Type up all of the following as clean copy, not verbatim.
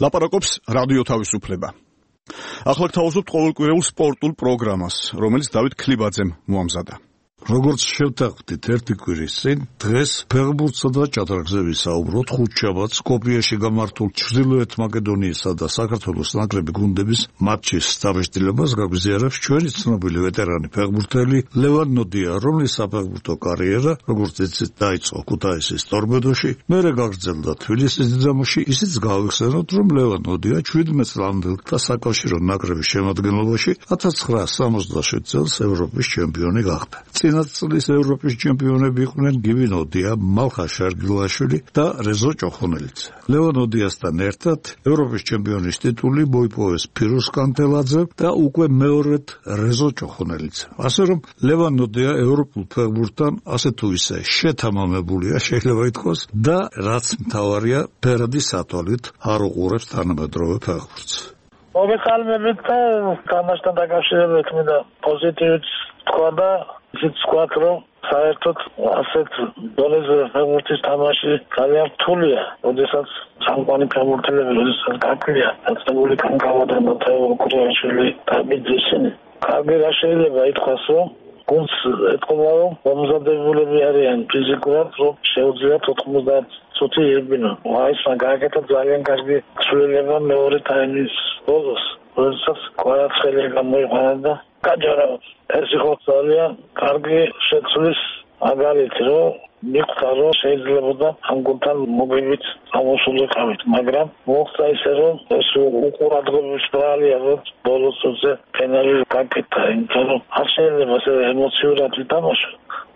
ლაპარაკობს რადიო თავისუფლება. ახლა გთავაზობთ ყოველკვირეულ სპორტულ პროგრამას, რომელიც დავით ქლიბაძემ მოამზადა. როგორც შევთანხმდით ერთი კვირის წინ, დღეს ფეხბურთსა და ჭადრაგზე ვისაუბროთ ხუთშაბათს სკოპიეში გამართულ ჩრდილოეთ მაკედონიისა და საქართველოს ნაკრები გუნდების მატჩის დაბეჭდილებას გაგვიზიარებს ჩვენი ცნობილი ვეტერანი ფეხბურთელი ლევან ნოდია, რომლის საფეხბურთო კარიერა, როგორც იცით, დაიწყო ქუთაისის ტორპედოში, მერე გაგრძელდა თბილისის დინამოში. ისიც გავიხსენოთ, რომ ლევან ნოდია 17 წლამდელთა საკავშირო ნაკრების შემადგენლობაში 1967 წელს ევროპის ჩემპიონი გახდა. წინასწრის ევროპის ჩემპიონები იყვნენ გივი ნოდია, მალხა შარგილაშვილი და რეზო ჭოხონელიძე. ლევან ნოდიასთან ერთად ევროპის ჩემპიონის ტიტული მოიპოვეს ფირუზ კანთელაძემ და უკვე მეორედ რეზო ჭოხონელიძემ. ასე რომ ლევან ნოდია ევროპულ ფეხბურთთან ასე თუ ისე შეთამამებულია, შეიძლება ითქვას, და რაც მთავარია, ფერადი სათვალით არ უყურებს თანამედროვე ფეხბურთს. მოგესალმებით და თამაშთან დაკავშირებით მინდა პოზიტივით თქვა და ისიც ვთქვათ, რომ საერთოდ ასეთ დონეზე ფეხბურთის თამაში ძალიან რთულია, როდესაც სამყარო ფეხბურთელები როდესაც გაკლია, დაწებული კანკავა მათეო კურიაშვილი და მიძესენი. კარგი რა შეიძლება ითქვას, რომ გუნდს ეთქობა, რომ მომზადებულები არიან ფიზიკურად, რომ შეუძლიათ 90 წუთი იბინო. ეს მაგალითად ძალიან კარგი ცვლილება მეორე ტაიმის ბოლოს, როდესაც კვარაცხელი გამოიყვანა და გაჯარა. ეს იყო ძალიან კარგი შეცვლის მაგალითი, რომ მიხვდა, რომ შეიძლებოდა ამ გუნდთან მოგებით ამოსულიყავით, მაგრამ მოხდა ისე, რომ ეს უყურადღების ბრალია, რომ ბოლოს წუთზე პენალი გაკეთა, იმიტომ რომ არ შეიძლება ასე ემოციურად ვითამაშო.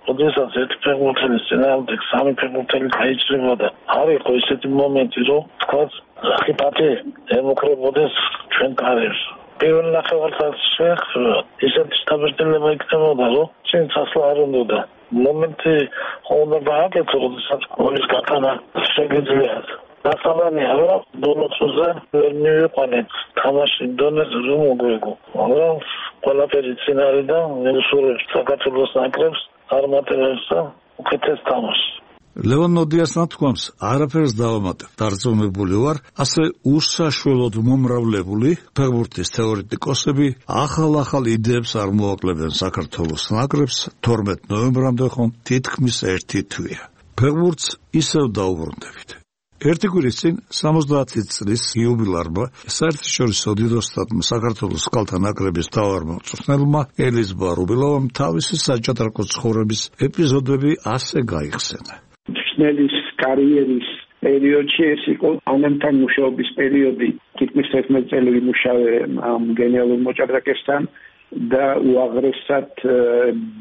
როდესაც ერთი ფეხბურთელის წინააღმდეგ სამი ფეხბურთელი გაიჭრებოდა, არ იყო ისეთი მომენტი, რომ თქვათ, ხიფათი ემუქრებოდეს ჩვენ კარიერს. პირველ ნახევარსაათს შეეხება, ისეთი დაბეჭდილება იქნებოდა, რომ წინ წასვლა არ უნდოდა. მომენტი უნდა გააკეთო, როდესაც გოლის გატანა შეგიძლიათ. დასაბამია, რომ ბოლოსზე ვერ მივიყვანეთ თამაში დონეზე, რომ მოგვიგო. მაგრამ ყველაფერი წინ არის და მისურვებს საქართველოს ნაკრებს არ მატებებს და უკეთეს თამაშს. ლევან ნოდიას ნათქვამს არაფერს დავამატებ, დარწმუნებული ვარ, ასე უსაშველოდ მომრავლებული ფეხბურთის თეორეტიკოსები ახალ იდეებს არ მოაკლებენ საქართველოს ნაკრებს 12 ნოემბრამდე ხომ თითქმის ერთი თვეა. ფეხბურთს ისევ დაუბრუნდებით. ერთი კვირის წინ 70 წლის იუბილარმა საერთაშორისო დიდოსტატმა საქართველოს ქალთა ნაკრების მთავარმა მწვრთნელმა ელიზბა რუბილოვამ თავისი საჭადრაკო ცხოვრების ეპიზოდები ასე გაიხსენა. მწვრთნელის კარიერის პერიოდში ეს იყო ანემთან მუშაობის პერიოდი. თითქმის 11 წელი ვიმუშავე ამ გენიალურ მოჭადრაკესთან და უაღრესად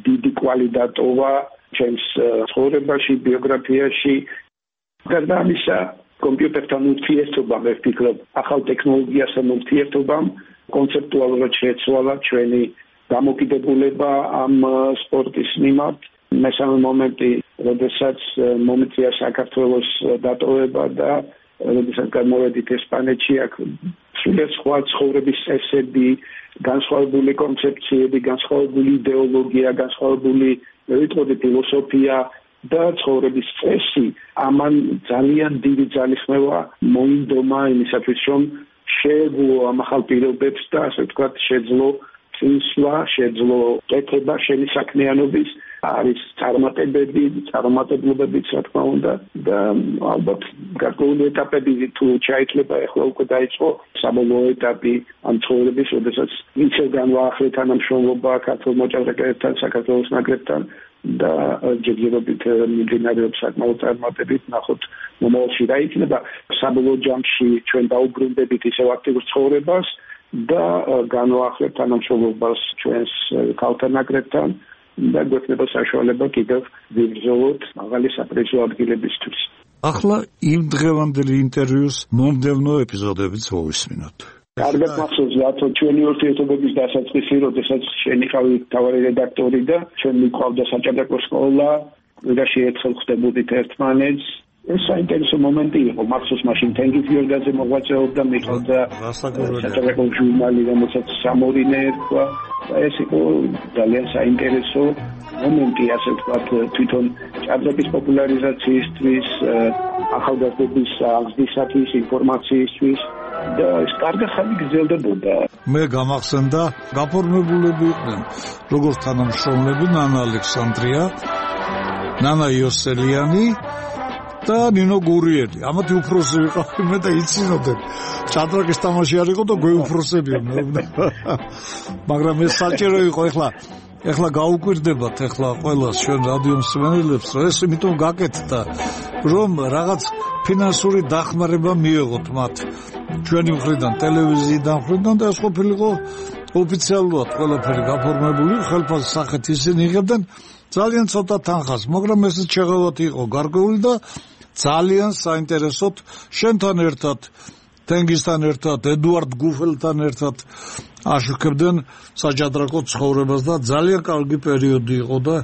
დიდი კვალი დატოვა ჩემს ცხოვრებაში, ბიოგრაფიაში. გარდა ამისა, კომპიუტერთან ურთიერთობამ, მე ვფიქრობ, ახალ ტექნოლოგიასთან ურთიერთობამ კონცეპტუალურად შეცვალა ჩვენი დამოკიდებულება ამ სპორტის მიმართ. მესამე მომენტი, როდესაც მომიწია საქართველოს დატოვება და როდესაც გამოვედით ესპანეთში, აქ სულიად სხვა ცხოვრების წესები, განსხვავებული კონცეფციები, განსხვავებული იდეოლოგია, განსხვავებული ფილოსოფია და ცხოვრების წესი ამან ძალიან დიდი ძალისხმევა მოინდომა იმისათვის, რომ შეეძლო ამ ახალ პირობებს და ასე ვთქვათ, შეძლო წინსვლა, შეძლო კეთება შენი საქმიანობის, არის წარმატებლებიც, რა თქმა უნდა, და ალბათ გარკვეული ეტაპები თუ ჩაითვლება, ახლა უკვე დაიწყო საბოლოო ეტაპი ამ ცხოვრების, როდესაც ისევ განვაახლე თანამშრომლობა ქართულ მოჭადრაკეებთან, საქართველოს ნაკრებთან და ჯერჯერობით მიმდინარეობს საკმაოდ წარმატებით. ნახოთ მომავალში რა იქნება. საბოლოო ჯამში ჩვენ დაუბრუნდებით ისევ აქტიურ ცხოვრებას და განვაახლებთ თანამშრომლობას ჩვენს ქალთა ნაკრებთან და გვექნება საშუალება კიდევ ვიბრძოლოთ მაღალი საპრიზო ადგილებისთვის. ახლა იმ დღევანდელი ინტერვიუს მომდევნო ეპიზოდებიც მოვისმინოთ. კარგად მახსოვს, რატო ჩვენი ურთიერთობების დასაწყისი, როდესაც შენ იყავი მთავარი რედაქტორი და ჩვენ მიყვავდა საჭადრაკო სკოლა, ვიღაში ერთხელ ხვდებოდით ერთმანეთს. ეს საინტერესო მომენტი იყო. მახსოვს, მაშინ თენგიზ გიორგაძე მოღვაწეობდა, მიყვავდა საჭადრაკო ჟურნალი, რომელსაც სამორინე ერქვა. ეს იყო ძალიან საინტერესო მომენტი, ასე ვთქვათ, თვითონ ჭადრაკის პოპულარიზაციისთვის, ახალგაზრდების აღზრდისათვის, ინფორმაციისთვის. და ეს კარგი ხანი გრძელდებოდა. მე გამახსენდა გაფორმებულები იყვნენ როგორც თანამშრომლები ნანა ალექსანდრია, ნანა იოსელიანი და ნინო გურიელი. ამათი უფროსი ვიყავი მე და იცინოდენ. ჭადრაკის თამაში არ იყო და გვეუფროსები. მაგრამ ეს საჭირო იყო ეხლა გაუკვირდებათ ყველა ჩვენ რადიო მსმენელებს, რომ ეს იმიტომ გაკეთდა, რომ რაღაც ფინანსური დახმარება მიეღოთ მათ ჩვენი მხრიდან, ტელევიზიიდან მხრიდან და ეს ყოფილიყო ოფიციალურად ყველაფერი გაფორმებული, ხელფასის სახით ისინი იღებდნენ ძალიან ცოტა თანხას, მაგრამ ეს შეღავათი იყო გარკვეული და ძალიან საინტერესოდ შენთან ერთად თენგისთან ერთად, ედუარდ გუფელთან ერთად აშუქებდნენ საჭადრაკო ცხოვრებას და ძალიან კარგი პერიოდი იყო და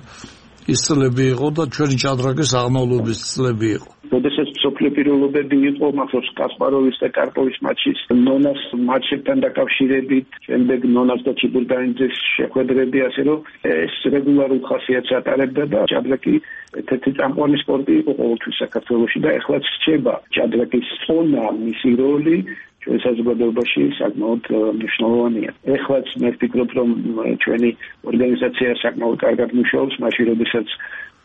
ის წლები იყო და ჩვენი ჭადრაკის აღმავლობის წლები იყო. როდესაც სოფლიო პიროვნებები იყო მახსოვს კასპაროვის და კარპოვის მატჩის ნონას მატჩებთან დაკავშირებით, შემდეგ ნონას და ჩიბურდანიძის შეხვედრები, ასე რომ ეს რეგულარულ ხასიათს ატარებდა და ჭადრაკი ერთ-ერთი წამყვანი სპორტი იყო ყოველთვის საქართველოში და ეხლაც რჩება ჭადრაკის წონა, მისი როლი ჩვენ საზოგადოებაში საკმაოდ მნიშვნელოვანია. ეხლაც მე ვფიქრობ, რომ ჩვენი ორგანიზაცია საკმაოდ კარგად მუშაობს, მაშინ როდესაც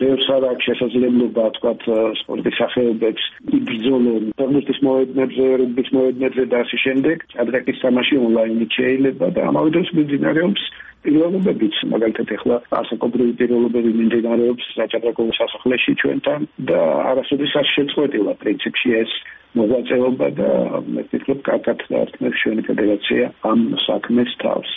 ბევრს არ აქვს შესაძლებლობა, თქვათ, სპორტის სახეობებს იბრძოლონ ფეხბურთის მოედნებზე, რუგბის მოედნებზე და ასე შემდეგ. ჭადრაკის თამაში ონლაინით შეიძლება და ამავე დროს მიმდინარეობს პიროვნებებიც, მაგალითად ეხლა ასაკობრივი პიროვნებები მიმდინარეობს საჭადრაკო სასახლეში ჩვენთან და არასოდეს არ შეწყვეტილა პრინციპში ეს მოღვაწეობა და მე ვფიქრობ, კარგად დაარტყმებს ჩვენი ფედერაცია ამ საქმეს თავს.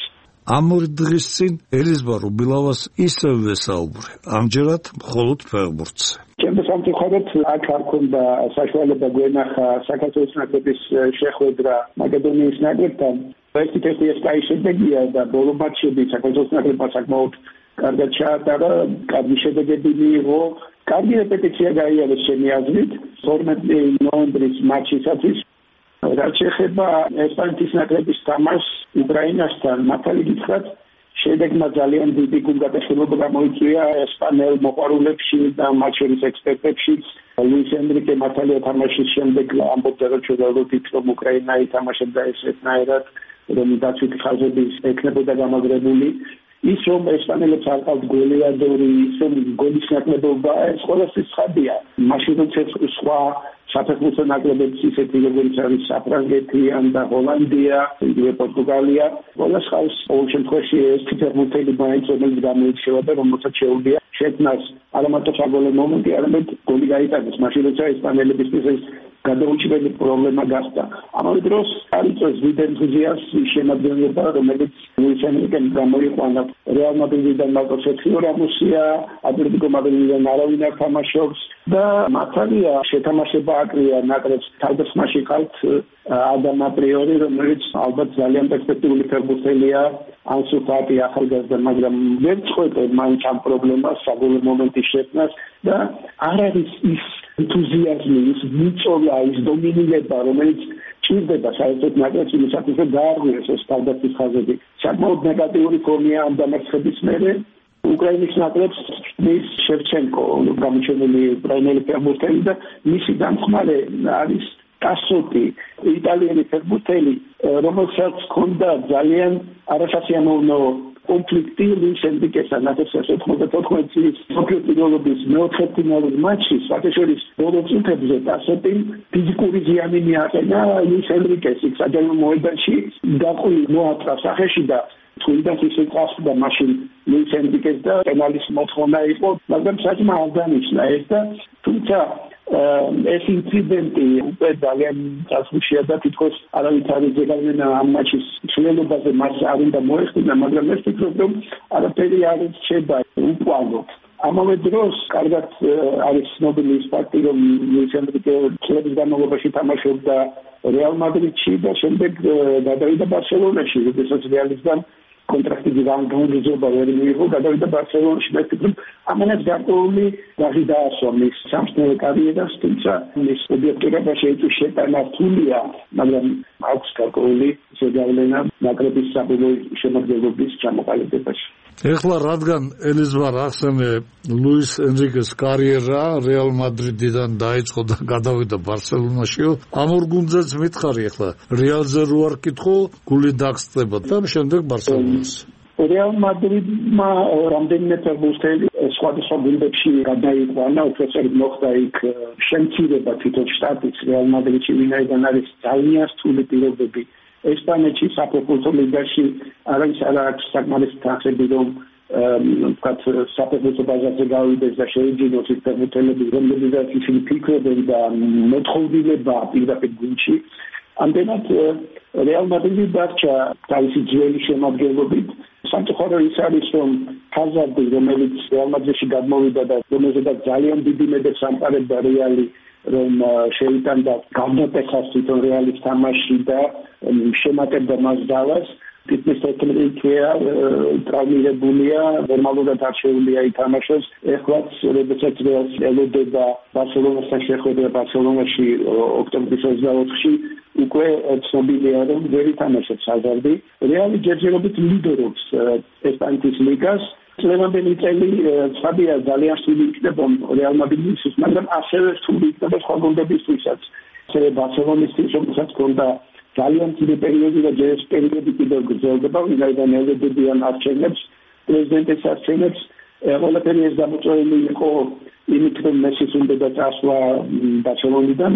ამ ორი დღის წინ ელიზბარ უბილავას ისევ ვესაუბრე, ამჯერად მხოლოდ ფეხბურთზე. ჩემს სამწუხაროდ აქ არ ქონდა საშუალება გვენახა საქართველოს ნაკრების შეხვედრა მაკედონიის ნაკრებთან. ერთი ეს კაი შედეგია და ბოლო მატჩები საქართველოს ნაკრებმა საკმაოდ კარგად ჩაატარა, კარგი შედეგები მიიღო. კარგი რეპეტიცია გაიარეს ჩემი აზრით 12 ნოემბრის მატჩისათვის. რაც შეეხება ესპანეთის ნაკრების თამაშს უკრაინასთან, მართალი გითხრათ, შედეგმა ძალიან დიდი გულგატეხილება გამოიწვია ესპანელ მოყვარულებში და მათ შორის ექსპერტებშიც. ლუის ენრიკე მართალია თამაშის შემდეგ ამბობდა, რომ ჩვენდავრობით რომ უკრაინა ითამაშებდა ესეთნაირად, რომ დაცვითი ხაზები ექნებოდა გამაგრებული. ის რომ ესპანელებს არ ყავთ გოლიადორი, ისე გოლის ნაკლებობა, ეს ყველასთვის ცხადია. მაშინ როცა სხვა საფეხბურთო ნაკრებებს ისეთი როგორც არის საფრანგეთი და ჰოლანდია, იგივე პორტუგალია, ყველას ხავს ყოველ შემთხვევაში ეს ფეხბურთელი მაინც რომელიც გამოირჩევა და რომელსაც შეუძლია შექმნას არა მარტო საგოლე მომენტი, არამედ გოლი გაიტანოს. მაშინ როცა ესპანელებისთვის ეს გადაუჭირებელი პრობლემა გახდა. ამავე დროს არიწევს დიდ ენთუზიაზმს შემადგენლობა, რომელიც ლუის ენრიკემ გამოიყვანა რეალ მადრიდიდან მარკო სერხიო რამოსია, ატლეტიკო მადრიდიდან არავინ არ თამაშობს და მართალია შეთამაშება აკრია ნაკრებს თავდასხმაში ყავთ ადამ აპრიორი, რომელიც ალბათ ძალიან პერსპექტიული ფეხბურთელია, ანსუ ფატი ახალგაზრდა, მაგრამ ვერ წყვეტენ მაინც ამ პრობლემას, საგოლე მომენტის შექმნას და არ არის ის ენთუზიაზმი, ის მიწოლა, ის დომინირება, რომელიც ჭირდება საერთოდ ნაკრებს იმისათვის, რომ გაარღვიოს ეს თავდაცვის ხაზები. საკმაოდ ნეგატიური ფორმია ამ დამარცხების მერე. უკრაინის ნაკრებს მის შევჩენკო, გამოჩენილი უკრაინელი ფეხბურთელი და მისი დამხმარე არის ტასოტი, იტალიელი ფეხბურთელი, რომელსაც ჰქონდა ძალიან არასასიამოვნო კონფლიქტი ლუის ენრიკესთან 1994 წლის სოფლიო პირველობის მეოთხე ფინალურ მატჩში, საერთაშორის ბოლო წუთებზე ტასოტიმ ფიზიკური ზიანი მიაყენა ლუის ენრიკესს საჯარო მოედანში, დაყვი მოაწყა სახეში და თუნდაც ისე წასვლა მაშინ ლუის ენრიკეს და პენალის მოთხოვნა იყო, მაგრამ საჭმა არ დანიშნა ეს და თუმცა ეს ინციდენტი უკვე ძალიან წასვლაშია და თითქოს არავით არ იძლევა ამ მატჩის ცვლილებაზე მას არ უნდა მოეხდინა, მაგრამ ეს ვფიქრობ, რომ არაფერი არ რჩება უყვალოდ. ამავე დროს კარგად არის ცნობილი ის ფაქტი, რომ ლუის ენრიკე წლების განმავლობაში თამაშობდა რეალ მადრიდში და შემდეგ გადავიდა ბარსელონაში, როდესაც რეალისგან კონტრაქტი განგრძობა ვერ მიიღო, გადავიდა ბარსელონაში. მე ვფიქრობ, ამანაც გარკვეული გაღი დაასვა მის სამწნევ კარიერას, თუმცა მის ობიექტურობა შეიწვის შეტანა რთულია, მაგრამ აქვს გარკვეული ზეგავლენა ნაკრების საბოლოო შემადგენლობის ჩამოყალიბებაში. ეხლა რადგან ელიზბარ ახსენე ლუის ენრიკეს კარიერა რეალ მადრიდიდან დაიწყო და გადავიდა ბარსელონაშიო, ამ ორ გუნდზეც მითხარი ეხლა რეალზე რო არ კითხო, გული დაგსწრება და შემდეგ ბარსელონას. რეალ მადრიდმა რამდენიმე ფეხბურთელი სხვადასხვა გუნდებში გადაიყვანა, უпроцент მოხდა იქ შემცირება თვითონ შტატის რეალ მადრიდში, ვინაიდან არის ძალიან რთული პირობები. ესპანეთში საფეხბურთო ლიგაში არის საკმარისი თანხები, რომ ვთქვათ საფეხბურთო ბაზარზე გავიდეს და შეიძინოს ის ფეხბურთელები, რომლებიც ისინი ფიქრობენ და მოთხოვდილება პირდაპირ გუნდში. ამდენად რეალ მადრიდი დარჩა თავისი ძველი შემადგენლობით. სამწუხარო ის არის, რომ ჰაზარდი, რომელიც რეალ მადრიდში გადმოვიდა და რომელზედაც ძალიან დიდი მედებს ამყარებდა რეალი, რომ შეიტანდა გამოტეხას თვითონ რეალის თამაში და შემატებდა მას დავას. თითქმის 11 თვეა ტრავმირებულია, ნორმალურად არ შეუძლია ითამაშოს. ეხლაც როდესაც რეალს ელოდება ბარსელონასთან შეხვედრა ბარსელონაში ოქტომბრის 24-ში, უკვე ცნობილია, რომ ვერ ითამაშებს ჰაზარდი. რეალი ჯერჯერობით ლიდერობს ესპანეთის ლიგას. წლევანდელი წელი ცნობილია ძალიან რთული იქნება რეალ მადრიდისთვის, მაგრამ ასევე რთული იქნება სხვა გუნდებისთვისაც. ასევე ბარსელონისთვის, რომელსაც ჰქონდა ძალიან დიდი პერიოდი და ჯერ ეს პერიოდი კიდევ გრძელდება, ვინაიდან ელოდებიან არჩევნებს, პრეზიდენტის არჩევნებს. ყველაფერი ეს გამოწვეული იყო იმით, რომ მესის უნდა წასვლა ბარსელონიდან,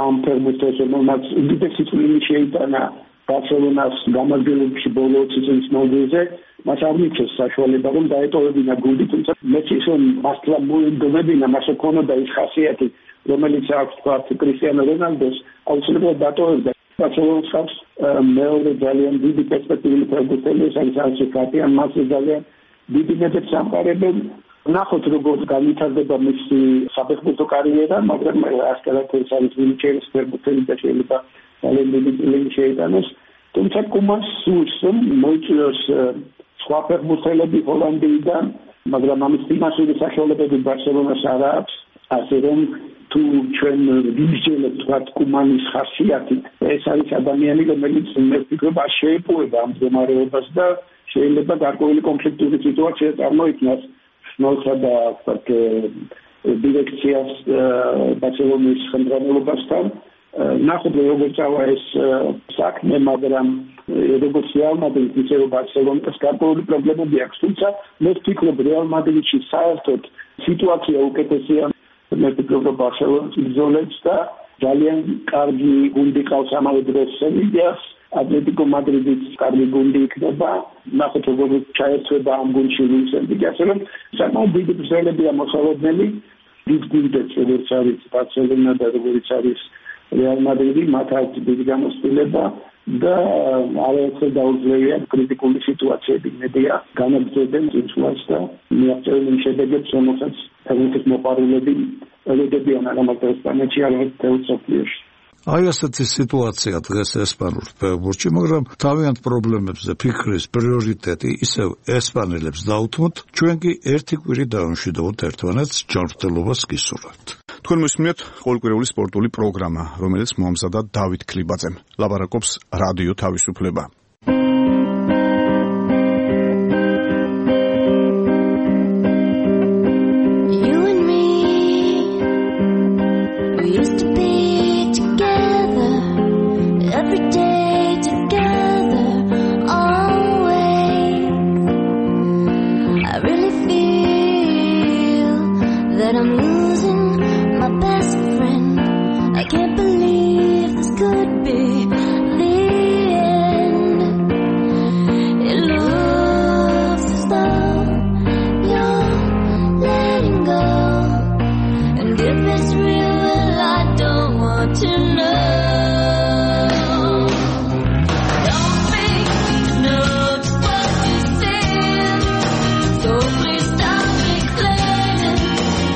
ამ ფეხბურთელს, რომელმაც უდიდესი წვლილი შეიტანა ბარსელონას გამარჯვებებში ბოლო 20 წლის მანძილზე, მას არ მიჩნევს საშუალება, რომ დაეტოვებინა გუნდი, თუმცა მეცის რომ მასლა მოიგონებინა, მას ჰქონოდა ის ხასიათი, რომელიც აქვს თქვა კრისტიანო რონალდოს, აუცილებლად დატოვებდა. ბარსელონას აქვს მეორე ძალიან დიდი პერსპექტივული ფეხბურთელი, ეს არის ანსუ ფატი, მას ძალიან დიდი მედებს ამყარებენ. ნახოთ როგორ განვითარდება მისი საფეხბურთო კარიერა, მაგრამ ასკარად ეს არის ვინჩენის ფეხბურთელი და შეიძლება ძალიან დიდი წვლილი შეიტანოს. თუმცა კუმას სურს, რომ მოიწვიოს სხვა ფეხბურთელები ჰოლანდიიდან, მაგრამ ამის ფინანსური საშუალებები ბარსელონას არ აქვს, ასე რომ თუ ჩვენ ვიმსჯელებთ კუმანის ხასიათით, ეს არის ადამიანი, რომელიც მე ვფიქრობ შეეპოვება ამ მდგომარეობას და შეიძლება გარკვეული კონფლიქტური სიტუაცია წარმოიქმნას სნოლსა და დირექციას ბარსელონის ხელმძღვანელობასთან. ნახოთ როგორ წავა ეს საქმე, მაგრამ როგორც რეალ მადრიდს, ისე ბარსელონას გარკვეული პრობლემები აქვს, თუმცა მე ვფიქრობ რეალ მადრიდში საერთოდ სიტუაცია უკეთესია. მე ვფიქრობ რომ ბარსელონას იზოლებს და ძალიან კარგი გუნდი ყავს ამავე დროს სევილიას, ატლეტიკო მადრიდის კარგი გუნდი იქნება. ნახოთ როგორ ჩაერთვება ამ გუნდში ლუის ენრიკე, ასე რომ საკმაოდ დიდი ბრძოლებია მოსალოდნელი. დიდ გუნდებს როგორც არის ბარსელონა და როგორც არის რეალ მადრიდი, მათ აქვს დიდი გამოსtildeება და არაერთხელ დაუძლევია კრიტიკული სიტუაციები. მედია განაგრძობენ წინსვლას და მიაღწევენ შედეგებს, რომელსაც ფეხბურთის მოყვარულები ელოდებიან არა მარტო ესპანეთში, არამედ მთელ მსოფლიოში. აი ასეთი სიტუაცია დღეს ესპანურ ფეხბურთში, მაგრამ თავიანთ პრობლემებზე ფიქრის პრიორიტეტი ისევ ესპანელებს დაუთმოთ, ჩვენ კი ერთი კვირი დავამშვიდობოთ ერთმანეთს, ჯანმრთელობას გისურვებთ. თქვენ მოსმენთ ყოველკვირეული სპორტული პროგრამა, რომელიც მოამზადა დავით ქლიბაძემ. ლაპარაკობს რადიო თავისუფლება.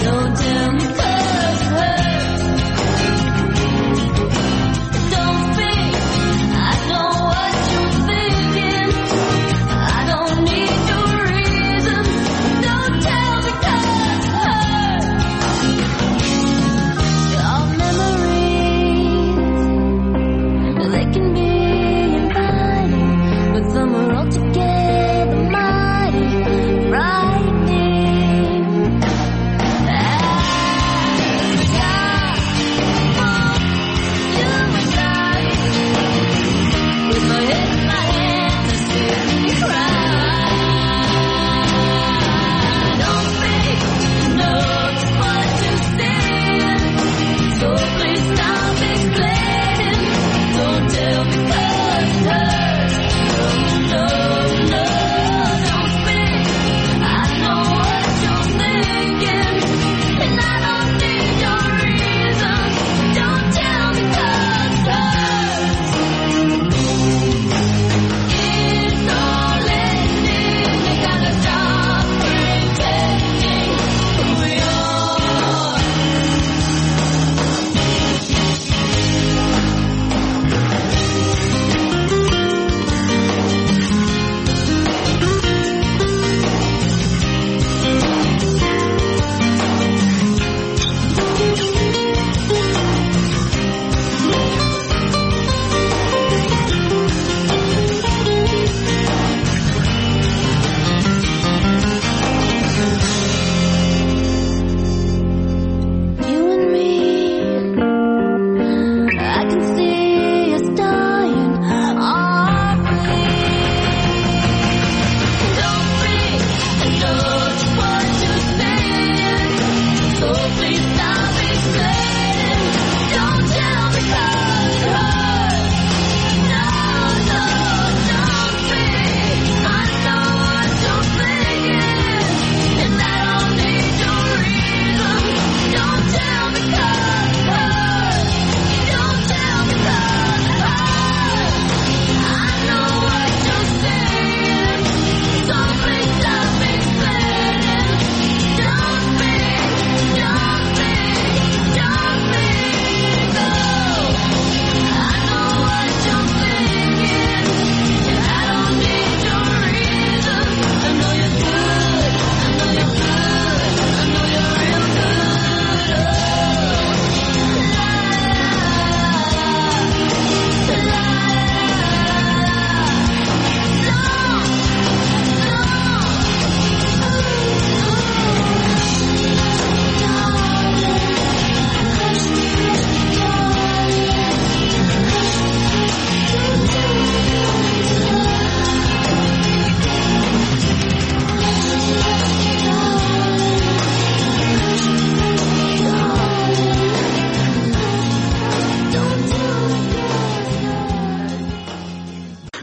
Don't tell me 'cause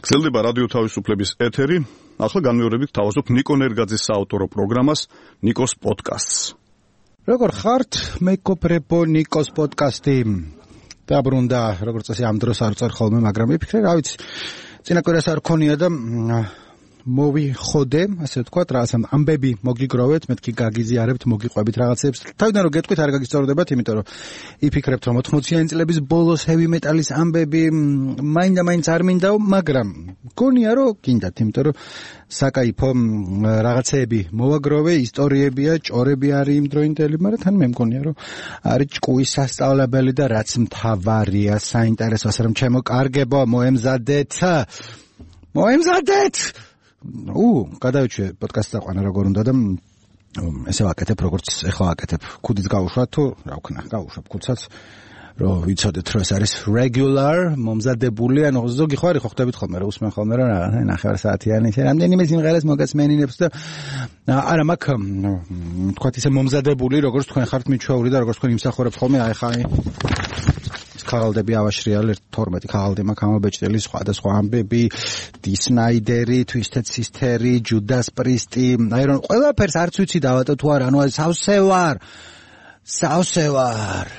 გრძელდება რადიო თავისუფლების ეთერი. ახლა განმეორებით თავაზობ ნიკო ნერგაძის საავტორო პროგრამას ნიკოს პოდკასტს. როგორ ხართ? მეკობრებო ნიკოს პოდკასტი. დაბრუნდა, როგორც წესი ამ დროს არ წერ ხოლმე, მაგრამ მიფიქრე, რა ვიცი, წინა კვირას არ ქონია და მოვიხოდე, ასე ვთქვათ, რაღაც ამბები მოგიგროვეთ, მეთქი გაგიზიარებთ, მოგიყვებით რაღაცებს. თავიდან რომ გეტყვით არ გაგისწორდებათ, იმიტომ რომ იფიქრებთ, რომ 80-იანი წლების ბოლოს heavy metal-ის ამბები მაინდა-მაინც არ მინდაო, მაგრამ გონია რომ გინდათ, იმიტომ რომ საკაიფო რაღაცეები მოვაგროვე, ისტორიებია, ჭორები არის იმ დროინდელი, მაგრამ თან მე მგონია რომ არის ჭკუის სასწავლებელი და რაც მთავარია, საინტერესო, ასე რომ ჩემო კარგებო, მოემზადეთ. გადავიჩვე პოდკასტს აყვანა როგორ უნდა და ესე ვაკეთებ, როგორც ეხლა ვაკეთებ. ქუდით გავუშვათ თუ რა ვქნა, გავუშვებ ქუდსაც, რომ ვიცოდეთ, რომ ეს არის regular, მომზადებული, ანუ ზოგი ხარი ხო ხდებით ხოლმე, რომ უსმენ ხოლმე, რომ რა, 9 საათიანი, რამდენიმე სიმღერას მოგესმენინებს და არა მაქვს, თქვათ ისე მომზადებული, როგორც თქვენ ხართ მიჩვეული და როგორც თქვენ იმსახურებთ ხოლმე, აი ხა ქაღალდები ავაშრიალ 12 ქაღალდი მაქვს ამობეჭდელი სხვადასხვა ამბები, დისნაიდერი, Twisted Sister-ი, Judas Priest-ი, აი რომ ყველაფერს არც ვიცი დავატო თუ არა, ანუ სავსევარ.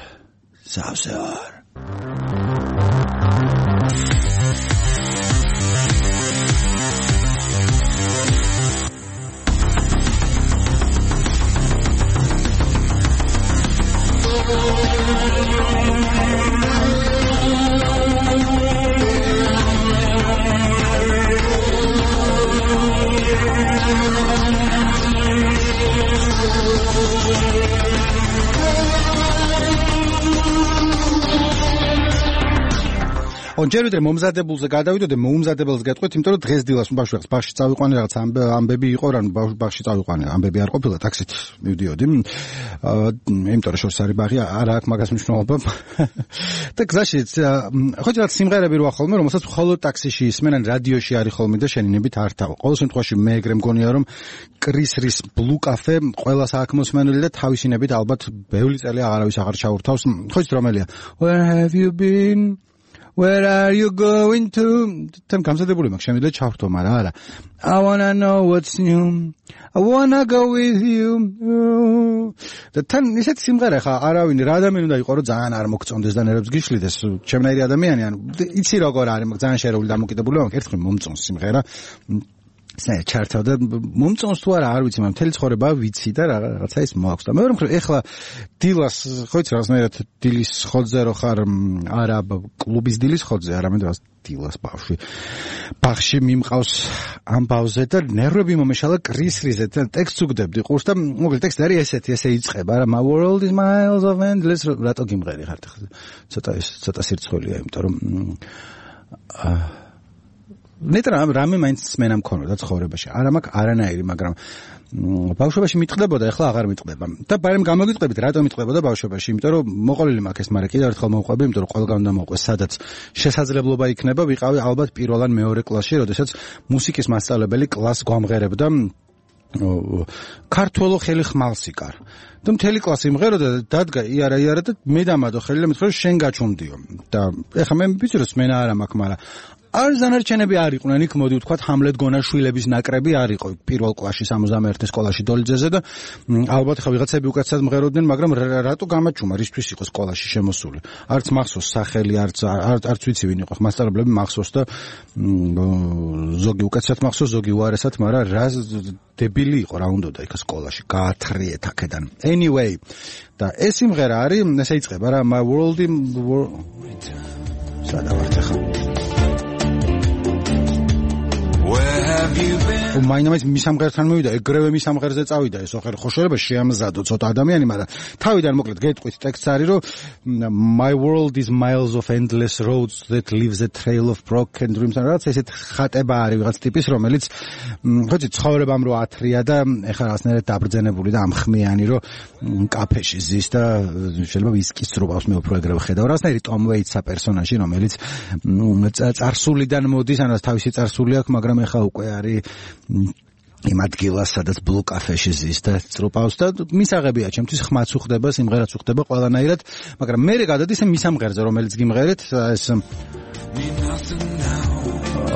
ჯერვიდრე მომზადებულზე გადავიდოდე, მოუმზადებელს გეტყვით, იმიტომ რომ დღეს დილას ბაღში წავიყვანე, რაღაც ამბები იყო, რა ბაღში წავიყვანე, ამბები არ ყოფილა, ტაქსით მივდიოდი. იმიტომ რომ შორს არის ბაღი, არ აქვს მაგას მნიშვნელობა. და გზაში ხო რაღაც სიმღერები როა ხოლმე, რომელსაც მხოლოდ ტაქსიში ისმენან, რადიოში არის ხოლმე და შენინებით არ თავ. ყოველ შემთხვევაში მე ეგრე მგონია რომ კრის რის Blue Cafe ყველას აქ მოსმენელი და თავისინებით ალბათ ბევრი წელი აღარავის აღარ ჩაურთავს. ხო იცით რომელია? Where have you been? Where are you going to? თან გამზადებული მაქვს, შემიძლია ჩავრთო, მაგრამ არა. I wanna know what's new. I wanna go with you. და თან ისეთ სიმღერა ხა არავინ რა ადამიანი უნდა იყო, რომ ძალიან არ მოგწონდეს და ნერვებს გიშლიდეს. ჩემნაირი ადამიანი, ანუ იცი როგორ არის, მაგრამ ძალიან შერეული დამოკიდებული ვარ, ერთხელ მომწონს სიმღერა. ჩართავ და მომწონს თუ არა არ ვიცი, მაგრამ მთელი ცხოვრება ვიცი და რაღაცა ის მოაქვს და მეორე მხრივ ეხლა დილას ხო იცი რაღაცნაირად დილის ხოძზე რო ხარ, არა კლუბის დილის ხოძზე, არამედ რაღაც დილას ბაღში მიმყავს ამბავზე და ნერვები მომეშალა კრისრიზე და ტექსტს უგდებდი ყურს და მოკლედ ტექსტი არის ესეთი, ესე იწყება რა, my world is miles of endless, რატო გიმღერი ხართ ცოტა სირცხვილია, იმიტომ რომ რამე მაინც მენა მქონოდა ცხოვრებაში. არა მაქვს არანაირი, მაგრამ ბავშვობაში მიტყდებოდა, ეხლა აღარ მიტყდება. და ბარემ გამოგიტყებით, რატომ მიტყდებოდა ბავშვობაში? იმიტომ რომ მოყოლილი მაქვს ეს, მაგრამ კიდევ ერთხელ მოვყვები, იმიტომ რომ ყველგან უნდა მოყვეს, სადაც შესაძლებლობა იქნება, ვიყავი ალბათ პირველ ან მეორე კლასში, როდესაც მუსიკის მასწავლებელი კლასს გვამღერებდა ქართველო ხელი ხმალსიკარ. და მთელი კლასი იმღეროდა და დადგა იარა და მე დამადო ხელი და მითხრა შენ გაჩუმდიო. და ეხლა მე ვიცი რომ სმენა არა მაქვს, მაგრამ არ ზანარჩენები არ იყვნენ, იქ მოდი ვთქვათ ჰამლეტ გონაშვილების ნაკრები არ იყო პირველ კლასში 61 სკოლაში დოლიძეზე და ალბათ ხა ვიღაცები უკეთესად მღეროდნენ, მაგრამ რატო გამაჩუმა, რისთვის იყო სკოლაში შემოსული? არც მახსოვს სახელი, არც ვიცი ვინ იყო მასწავლებლები, მახსოვს და ზოგი უკეთესად მახსოვს, ზოგი უარესად, მაგრამ რა დებილი იყო, რა უნდოდა იქ სკოლაში გაათრიეთ აქედან. Anyway, და ეს სიმღერა არის, ესე იწყება რა, my world სადავართ ახლა მაინამაც მისამღერთან მივიდა, ეგრევე მისამღერზე წავიდა ეს ხოშორება შეამზადო ცოტა ადამიანი, მაგრამ თავიდან მოკლედ გეტყვით ტექსტს არის რომ my world is miles of endless roads that leaves a trail of broken dreams. რაც ესეთ ხატება არის ვიღაც ტიპის, რომელიც ხოჭი ცხოვრებამ რო ათრია და ეხლა რაღაცნაირად დაბრძენებული და ამხმიანი რომ კაფეში ზის და შეიძლება ვისკის წრუბავს, მე უფრო ეგრევე ხედავ. რაღაცნაირი Tom Waits-ა პერსონაჟი, რომელიც წარსულიდან მოდის, ანუ თავისი წარსული აქვს, მაგრამ ეხლა უკვე არის იმ ადგილას, სადაც Blue Cafe-ში ზის და წრუპავს და მისაღებია ჩემთვის, ხმაც უხდება, სიმღერაც უხდება ყველანაირად, მაგრამ მე გადადის მისამღერზე, რომელიც გიმღერეთ, ეს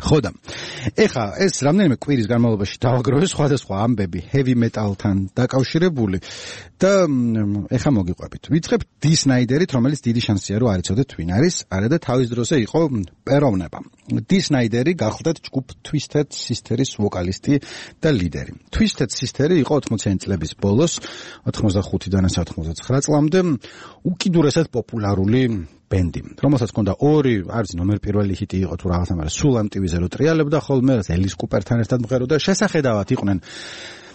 ხო და ეხა ეს რამდენიმე კვირის განმავლობაში დავაგროვე სხვადასხვა ამბები heavy metal-თან დაკავშირებული და ეხა მოგიყვებით. ვიწყებ დი სნაიდერით, რომელიც დიდი შანსია რომ არ იცოდეთ ვინ არის, არა და თავის დროზე იყო პეროვნება. დი სნაიდერი გახლდათ ჯგუფ Twisted Sister-ის ვოკალისტი და ლიდერი. Twisted Sister იყო 80-იანი წლების ბოლოს, 85-დან 99 წლამდე უკიდურესად პოპულარული ბენდი, რომელსაც ჰქონდა ორი, არის ნომერ პირველი ჰიტი იყო თუ რაღაცა, მაგრამ სულ ამ ტივიზე რო ტრიალებდა ხოლმე, ელის კუპერთან ერთად მღეროდა, შესახედავად იყვნენ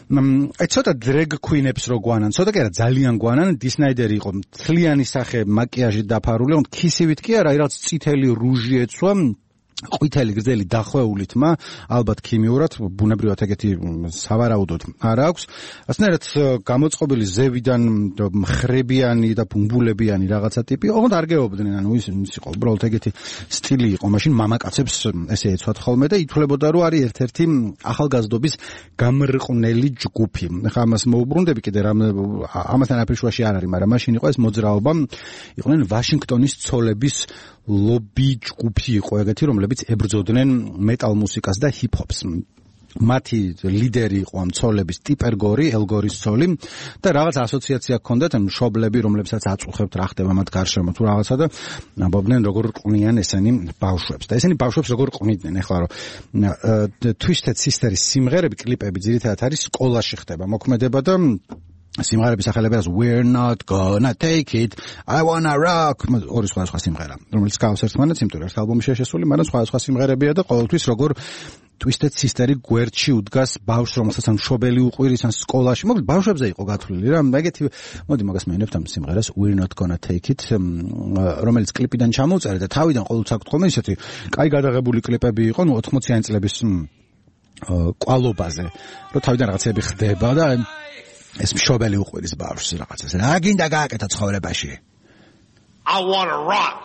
აი ცოტა დრეგ κουინებს რო გვანან, ცოტა კი არა ძალიან გვანან, დი სნაიდერი იყო მთლიანი სახე მაკიაჟით დაფარული, on ქისივით კი არა, აი რაღაც წითელი რუჟი ეცვა, ყვითელი გრძელი დახვეული თმა, ალბათ ქიმიურად, ბუნებრივად ეგეთი სავარაუდოდ არ აქვს. ასნაირად გამოწყობილი ზევიდან მხრებიანი და ბუმბულებიანი რაღაცა ტიპი, ოღონდ არ გეუბდნენ, ანუ ის იყო უბრალოდ ეგეთი სტილი იყო, მაშინ მამაკაცებს ესე ეცვათ ხოლმე და ითვლებოდა, რომ არის ერთ-ერთი ახალგაზრდობის გამრყნელი ჯგუფი. ხა ამას მოუბრუნდები კიდე რამ ამასთან აფრიშვაში არ არის, მაგრამ მაშინ იყო ეს მოძრაობა, იყვნენ ვაშინგტონის ცოლების ლობი ჯგუფი იყო ეგეთი, რომლებიც ებრძოდნენ მეტალ მუსიკას და ჰიპ-ჰოპს. მათი ლიდერი იყო ამ ცოლების ტიპერ გორი, ელგორის ცოლი და რაღაც ასოციაცია ჰქონდათ მშობლები, რომლებსაც აწუხებთ რა ხდება მათ გარშემო თუ რაღაცა და ამბობდნენ როგორ ყვნიან ესენი ბავშვებს. და ესენი ბავშვებს როგორ ყვნიდნენ, ეხლა რომ Twisted Sister-ის სიმღერები, კლიპები ძირითადად არის სკოლაში ხდება მოქმედება და სიმღერების სახელებია We're not gonna take it, I wanna rock. ორი სხვა სიმღერა, რომელიც გავს ერთმანეთს, იმიტომ რომ ერთ ალბომში შესული, მაგრამ სხვა სიმღერებია და ყოველთვის როგორ Twisted Sister-ი გვერდში უდგას ბავშვს, რომელსაც ან მშობელი უყვირის, ან სკოლაში. მოკლედ ბავშვებზე იყო გათვლილი რა. ეგეთი, მოდი მაგას მეინებთ ამ სიმღერას We're not gonna take it, რომელიც კლიპიდან ჩამოვწერე და თავიდან ყოველთვის აქვს ხოლმე ისეთი კაი გადაღებული კლიპები იყო, 80-იანი წლების კვალობაზე, რომ თავიდან რაღაცები ხდება და ეს მშობელი უყვირის ბავშვს რაღაცას. რა გინდა გააკეთა ცხოვრებაში? I wanna rock.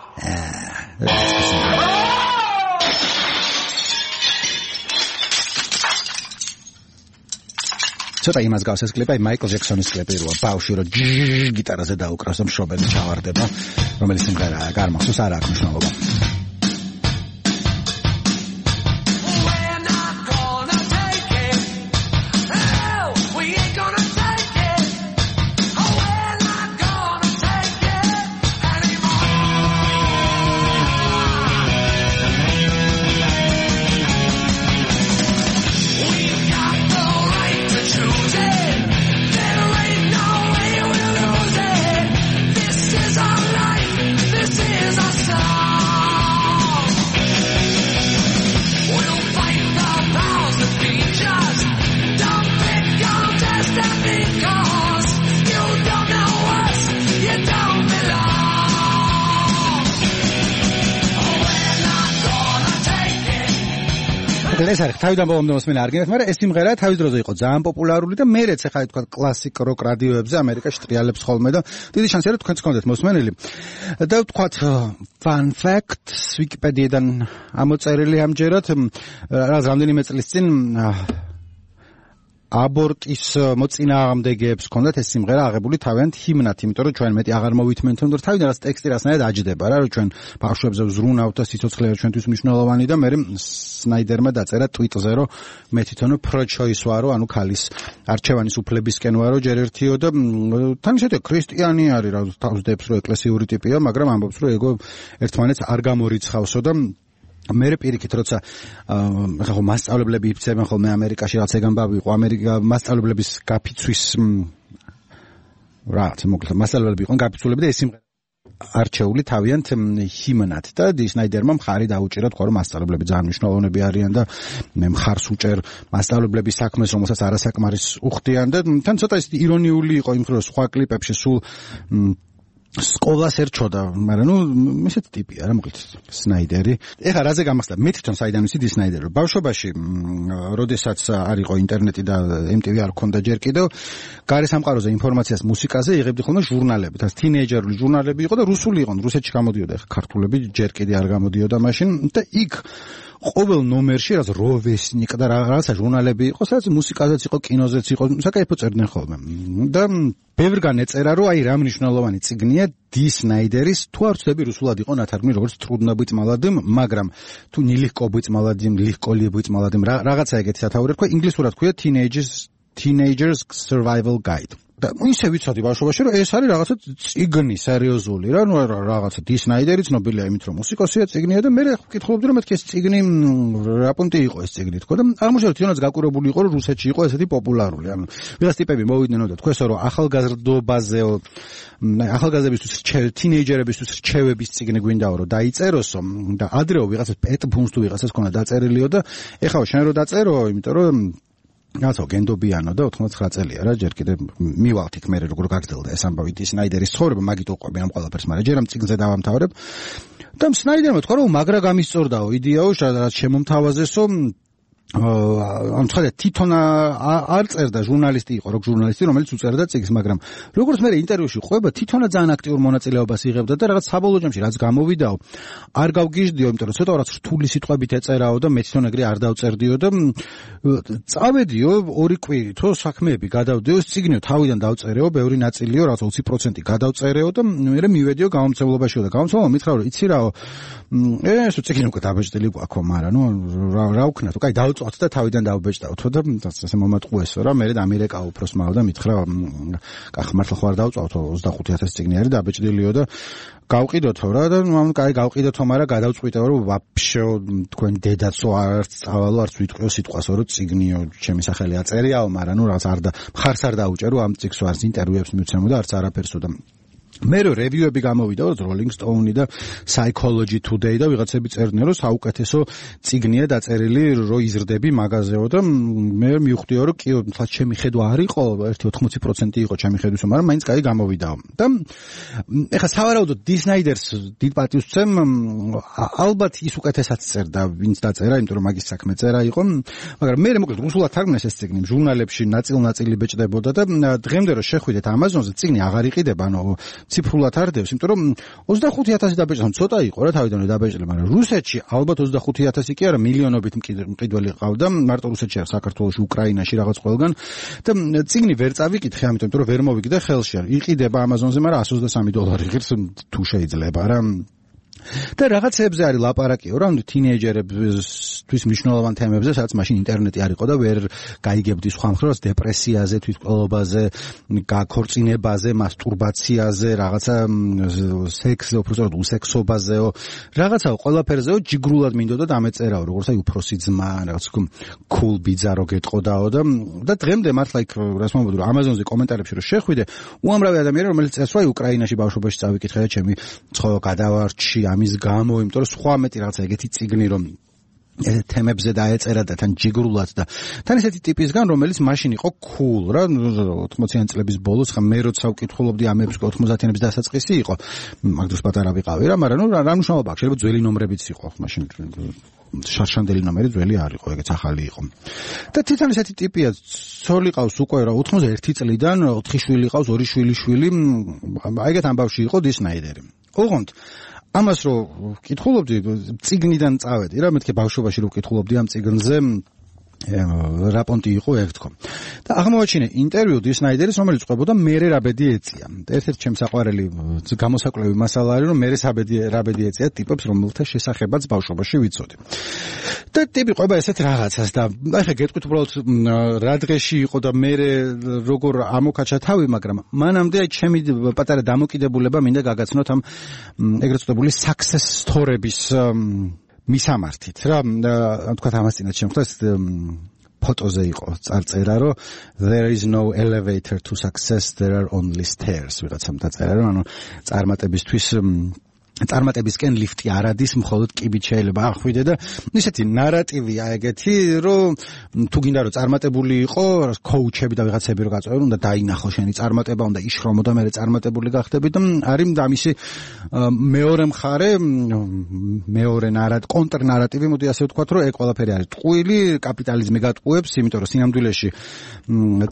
ცოტა იმას გავს ეს კლიპი, მაიკლ ჯექსონის კლიპი როა ბავშვი რო გიტარაზე დაუკრავს და მშობელი ჩავარდება, რომელიც სიმღერაა, გარმახსოვს არ აქვს მნიშვნელობა. ეს არის თავიდან ბოლომდე მოსმენა არ გინდათ, მაგრამ ეს სიმღერა თავის დროზე იყო ძალიან პოპულარული და მერეც ახლა თქვა კლასიკ როკ რადიოებზე ამერიკაში ტრიალებს ხოლმე და დიდი შანსია რომ თქვენც გქონდეთ მოსმენილი. და ვთქვათ fun facts ვიკიპედიიდან ამოწერილი ამჯერად რამდენიმე წლის წინ აბორტის მოწინააღმდეგეებს ჰქონდათ ეს სიმღერა აღებული თავიანთ ჰიმნად, იმიტომ რომ ჩვენ მეტი აღარ მოვითმენთ, რომ თავიდან რაც ტექსტი რასნაირად აჯდება რა, რომ ჩვენ ბავშვებზე ვზრუნავთ და სიცოცხლე ჩვენთვის მნიშვნელოვანი და მე სნაიდერმა დაწერა ტვიტზე, რომ მე თვითონ pro-choice ვარო, ანუ ქალის არჩევანის უფლებისკენ ვარო ჯერ ერთიო და თან ისეთი ქრისტიანი არის რა, თავს დებს რომ ეკლესიური ტიპია, მაგრამ ამბობს რომ ეგო ერთმანეთს არ გამორიცხავსო და მე პირიქით როცა ახლა ხო მასწავლებლები იფიცებენ ხოლმე ამერიკაში რაღაც ეგ ამბავი იყო ამერიკა მასწავლებლების გაფიცვის რაც მოკლედ მასწავლებლები იყვნენ გაფიცულები და ეს სიმღერა არჩეული თავიანთ ჰიმნად და დი სნაიდერმა მხარი დაუჭირა თქვა რომ მასწავლებლები ძალიან მნიშვნელოვნები არიან და მე მხარს უჭერ მასწავლებლების საქმეს რომელსაც არასაკმარის უხდიან და თან ცოტა ის ირონიული იყო იმ ხრო სხვა კლიპებში სულ სკოლას ერჩოდა, მაგრამ ნუ ესეთი ტიპია რა მოკლედ სნაიდერი. ეხლა რაზე გამახსდა? მე თვითონ საიდან ვიცი დი სნაიდერი. ბავშვობაში, როდესაც არ იყო ინტერნეტი და MTV არ ჰქონდა ჯერ კიდევ, გარესამყაროზე ინფორმაციას მუსიკაზე იღებდი ხოლმე ჟურნალები. და თინეიჯერული ჟურნალები იყო და რუსული იყო, რუსეთში გამოდიოდა, ეხლა ქართულები ჯერ კიდე არ გამოდიოდა მაშინ და იქ ყოველ ნომერში რაც როვესნიკ და რაღაცა ჟურნალები იყო, სადაც მუსიკაზეც იყო, კინოზეც იყო, საკაიფო წერდნენ ხოლმე. და ბევრგან ეწერა, რომ აი რა მნიშვნელოვანი წიგნია დი სნაიდერის, თუ არ ვცდები რუსულად იყო ნათარგმნი როგორც трудно быть молодым, მაგრამ თუ нелегко быть молодым, легко ли быть молодым, რაღაცა ეგეთი სათაური თქვა, ინგლისურად ქვია Teenagers Survival Guide. და ისე ვიცოდი ბავშვობაში რომ ეს არის რაღაცა წიგნი სერიოზული რა, ნუ რაღაცა დი სნაიდერი ცნობილია იმით რომ მუსიკოსია, წიგნია და მე ვკითხულობდი რომ მეთქი ეს წიგნი რა პუნქტი იყო ეს წიგნი თქო და აღმოჩნდა თვითონაც გაკურებული იყო რომ რუსეთში იყო ესეთი პოპულარული. ანუ ვიღაც ტიპები მოვიდნენ და თქვესო რომ ახალგაზრდებისთვის თინეიჯერებისთვის რჩევების წიგნი გვინდაო რომ დაიწეროსო და ადრეო ვიღაცას პეტ ფუნს თუ ვიღაცას ქონდა დაწერილიო და ეხლა შენ რო დაწერო, იმიტომ რომ რაცო გენდობიანო და 99 წელია რა ჯერ კიდე მივალთ იქ მე როგორ გაგრძელდა ეს ამბავი სნაიდერის ცხოვრება მაგით უყვები ამ ყველაფერს მაგრამ ჯერ ამ წიგნზე დავამთავრებ და სნაიდერმა თქვა რომ მაგრა გამისწორდაო იდეაო რაც შემომთავაზესო ამ ცხადია თვითონ არ წერდა ჟურნალისტი იყო როკ ჟურნალისტი რომელიც უწერდა წიგნს მაგრამ როგორც მე ინტერვიუში ყვება თვითონაც ძალიან აქტიურ მონაწილეობას იღებდა და რაღაც საბოლოო ჯამში რაც გამოვიდაო არ გავგიჟდიო იმიტომ რომ ცოტა რაც რთული სიტყვებით ეწერაო და მე თვითონ ეგრე არ დავწერდიო და წავედიო 2 კვირითო საქმეები გადავდიო წიგნიო თავიდან დავწერეო ბევრი ნაწილიო რაც 20% გადავწერეო და მე მივედიო გამომცემლობაშიო და გამომცემლობა მითხრა რომ იცი რაო ეს წიგნი უკვე დაბეჭდილი გვაქვს მაგრამ ნუ რა ვქნა თუ კაი დავწვათ და თავიდან დავბეჭდავთო და ასე მომატყუესო რა მე ამერიკა უფროს მავა და მითხრა კახ მართლა ხო არ დავწვავთო 25000 წიგნი არის დაბეჭდილიო და გავყიდოთო რა და ნუ კაი გავყიდოთო მაგრამ გადავწყვიტეო რომ ვაფშე თქვენ დედაცო არც წავალო არც ვიტყვიო სიტყვასო რომ წიგნიო ჩემი სახელი აწერიაო მაგრამ ნუ რაღაც არ და მხარს არ დაუჭერო ამ წიგნს არც ინტერვიუებს მივცემო და არც არაფერსო და მე რევიუები გამოვიდა Rolling Stone და Psychology Today და ვიღაცები წერდნენ რომ საუკეთესო წიგნია დაწერილი რო იზრდები მაღაზიაო და მე მივხვდიო რომ კი თლა ჩემი ხედვა არ იყო 80% იყო ჩემი ხედვისა მაგრამ მაინც კაი გამოვიდაო და ეხლა სავარაუდოდ დისნაიდერს დიდ პატივს ვცემ ალბათ ის უკეთესად წერდა ვინც დაწერა იმიტომ რომ მაგის საქმე წერა იყო მაგრამ მე მოკლედ რუსულად თარგმნეს ეს წიგნი ჟურნალებში ნაწილ-ნაწილი ბეჭდებოდა და დღემდე რომ შეხვიდეთ Amazon-ზე წიგნი აღარ იყიდება ანუ ციფრულად არ დევს, იმიტომ რომ 25000 დაბეჭდა, ცოტა იყო რა თავიდანვე დაბეჭდილი, მაგრამ რუსეთში ალბათ 25000 კი არა, მილიონობით მყიდველი ყავდა, მარტო რუსეთში არ, საქართველოში, უკრაინაში რაღაც ყველგან და წიგნი ვერ წავიკითხე, ამიტომ რომ ვერ მოვიგდე ხელში. იყიდება Amazon-ზე, მაგრამ $130 ღირს თუ შეიძლება რა. და რაღაცებზე არის ლაპარაკიო რა თინეიჯერებისთვის მნიშვნელოვან თემებზე სადაც მაშინ ინტერნეტი არ იყო და ვერ გაიგებდი სხვა მხრივ დეპრესიაზე თვითმკვლელობაზე გაქორწინებაზე მასტურბაციაზე რაღაცა სექსზე უბრალოდ უსექსობაზეო რაღაცაო ყველაფერზეო ჯიგრულად მინდოდა დამეწერაო როგორც აი უფროსი ძმა რაღაც cool ბიძარო გეტყოდაო და დღემდე მართლა იქ რას მომბოდო რომ Amazon-ზე კომენტარებში რომ შეხვიდე უამრავი ადამიანი რომელიც წერს რომ უკრაინაში ბავშვობაში წავიკითხე და ჩემი ცხოვა გადავარჩი ამის გამო, იმიტომ რომ სხვა მეტი რაღაცა ეგეთი წიგნი რომ თემებზე დაეწერა და თან ჯიგრულად და თან ესეთი ტიპისგან რომელიც მაშინ იყო cool რა 80-იან წლების ბოლოს ხა მე როცა ვკითხულობდი ამებს 90-იანების დასაწყისი იყო მაგდროს პატარა ვიყავი რა მაგრამ რა მნიშვნელობა აქვს შეიძლება ძველი ნომრებიც იყო მაშინ შარშანდელი ნომერი ძველი არ იყო ეგეც ახალი იყო და თვითონ ესეთი ტიპია ცოლი ყავს უკვე რა 91 წლიდან 4 შვილი ყავს 2 შვილი აიგეთ ამბავში იყო დისნაიდერი ოღონდ ამას რო ვკითხულობდი წიგნიდან წავედი რა მეთქე ბავშვობაში რო ვკითხულობდი ამ წიგნზე რაპონტი იყო ეგ თქო და აღმოაჩინე ინტერვიუ დისნაიდერის რომელიც ყვებოდა მერე რაბედი ეწია ერთ-ერთი ჩემს საყვარელი გამოსაკვლევი მასალა არის რომ მერე რაბედი ეწია ტიპებს რომელთა შესახებაც ბავშვობაში ვიცოდი და ტიპი ყვება ესეთ რაღაცას და ახლა გეტყვით უბრალოდ რა დღეში იყო და მერე როგორ ამოკაჩა თავი მაგრამ მანამდე ჩემი პატარა დამოკიდებულება მინდა გაგაცნოთ ამ ეგრეთ წოდებული success story-ების მისამართით რა თქვა ამას წინათ შემთხვევას ფოტოზე იყო წარწერა რომ there is no elevator to success there are only stairs ვიღაცამ დაწერა რომ ანუ წარმატებისკენ ლიფტი არ ადის მხოლოდ კიბით შეიძლება ახვიდე და ისეთი ნარატივია ეგეთი რომ თუ გინდა რომ წარმატებული იყო კოუჩები და ვიღაცები რო გაწევენ უნდა დაინახო შენი წარმატება უნდა იშრომო და მე წარმატებული გახდები და არის დამისი მეორე მხარე მეორე კონტრ ნარატივი მოდი ასე ვთქვათ რომ ეგ ყველაფერი არის ტყუილი კაპიტალიზმი გატყუებს იმიტომ რომ სინამდვილეში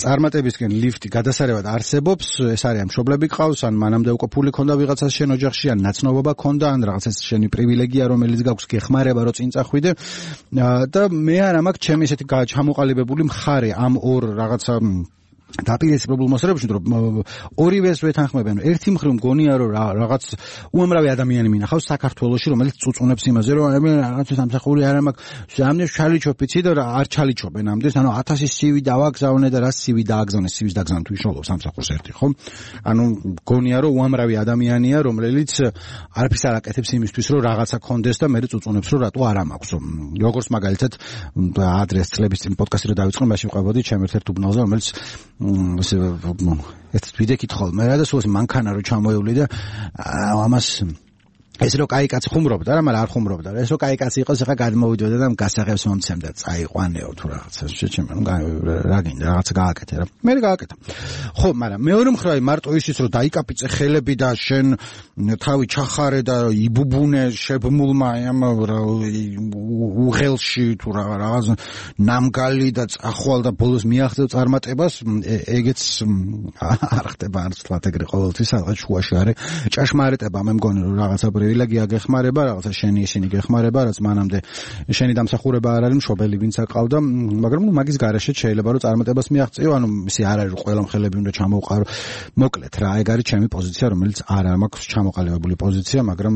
წარმატებისკენ ლიფტი გადასარევად არსებობს ეს არის ამ მშობლები ყავს ან მანამდე უკვე ფული ქონდა ვიღაცას შენ ოჯახში ან ნაცნობობა ქონდა ან რაღაცა შენი პრივილეგია რომელიც გაქვს გეხმარება რომ წინ წახვიდე და მე არა მაქვს ჩემი ესეთი ჩამოყალიბებული მხარე ამ ორ რაღაცა დაპირისპირებულ მოსწრებებში რომ ორივეს ვეთანხმებენ ერთი მხრივ მგონია რომ რაღაც უამრავი ადამიანი მინახავს საქართველოში რომელიც წუწუნებს იმაზე რომ მე რაღაც სამსახური არ მაქვს ამდენ ჩალიჩობიცი და არ ჩალიჩობენ ამდენ ანუ 1000 CV დავაგზავნე და რა CV დააგზავნე CV-ს დაგზავნე თუ ისწავლობ სამსახურს ერთი ხო ანუ მგონია რომ უამრავი ადამიანია რომელიც არაფერს არ აკეთებს იმისთვის რომ რაღაცა კონდეს და მე წუწუნებს რომ რატო არ მაქვს როგორც მაგალითად ადრეს წლების წინ პოდკასტი რო დავიწყე მაშინ ვყავდი ჩემ ერთ უბნელზე რომელიც ეს ვიდეო კითხულ მე რა და სულ მანქანა რო ჩამოევლი და ამას ეს რო კაი კაცი ხუმრობდა რა, მაგრამ არ ხუმრობდა. ეს რო კაი კაცი იყოს, ახლა გადმოვიდოდა და გასაღებს მომცემდა, წაიყვანეო თუ რაღაცა. შეჩემ, რა გინდა, რაღაცა გააკეთე რა. მე გააკეთა. ხო, მაგრამ მეორე მხრივ მარტო ისიც რომ დაიკაპიცე ხელები და შენ თავი ჩახარე და იბუბუნე შებმულმა ამ უღელში თუ რაღაც ნამგალი და წახვალ და ბოლოს მიახდევ წარმატებას, ეგეც არ ხდება არც თქვა ეგრე ყოველთვის რაღაც შუაში არის ჭაშმარიტება. მე მგონი რომ რაღაცა პრივილეგია გეხმარება, რაღაცა შენი ისინი გეხმარება, რაც მანამდე შენი დამსახურება არ არის, მშობელი ვინც აკავდა, მაგრამ მაგის გარეშე შეიძლება რომ წარმატებას მიაღწიო, ანუ ისე არ არის რომ ყველა მხელები უნდა ჩამოვყარო. მოკლედ რა, ეგ არის ჩემი პოზიცია, რომელიც არ მაქვს ჩამოყალიბებული პოზიცია, მაგრამ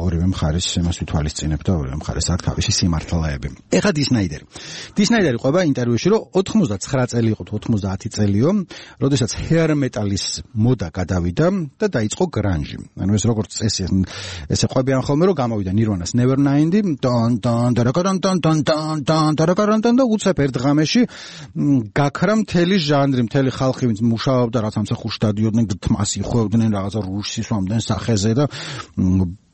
ორივე მხარეს იმას ვითვალისწინებ და ორივე მხარეს აქვს თავისი სიმართლეები. ეხლა დისნაიდერი ყვება ინტერვიუში, რომ 99 წელი იყო, 90 წელიო, როდესაც hair metal-ის მოდა გადავიდა და დაიწყო grunge. ანუ ეს როგორც წესი ესე ყვებიან ხოლმე რომ გამოვიდა Nirvana-ს Nevermind და უცებ ერთ ღამეში გაქრა მთელი ჟანრი, მთელი ხალხი ვინც მუშაობდა, რაც ამსახურში დადიოდნენ, თმას იხვევდნენ, რაღაცა რუშს ისვამდნენ სახეზე და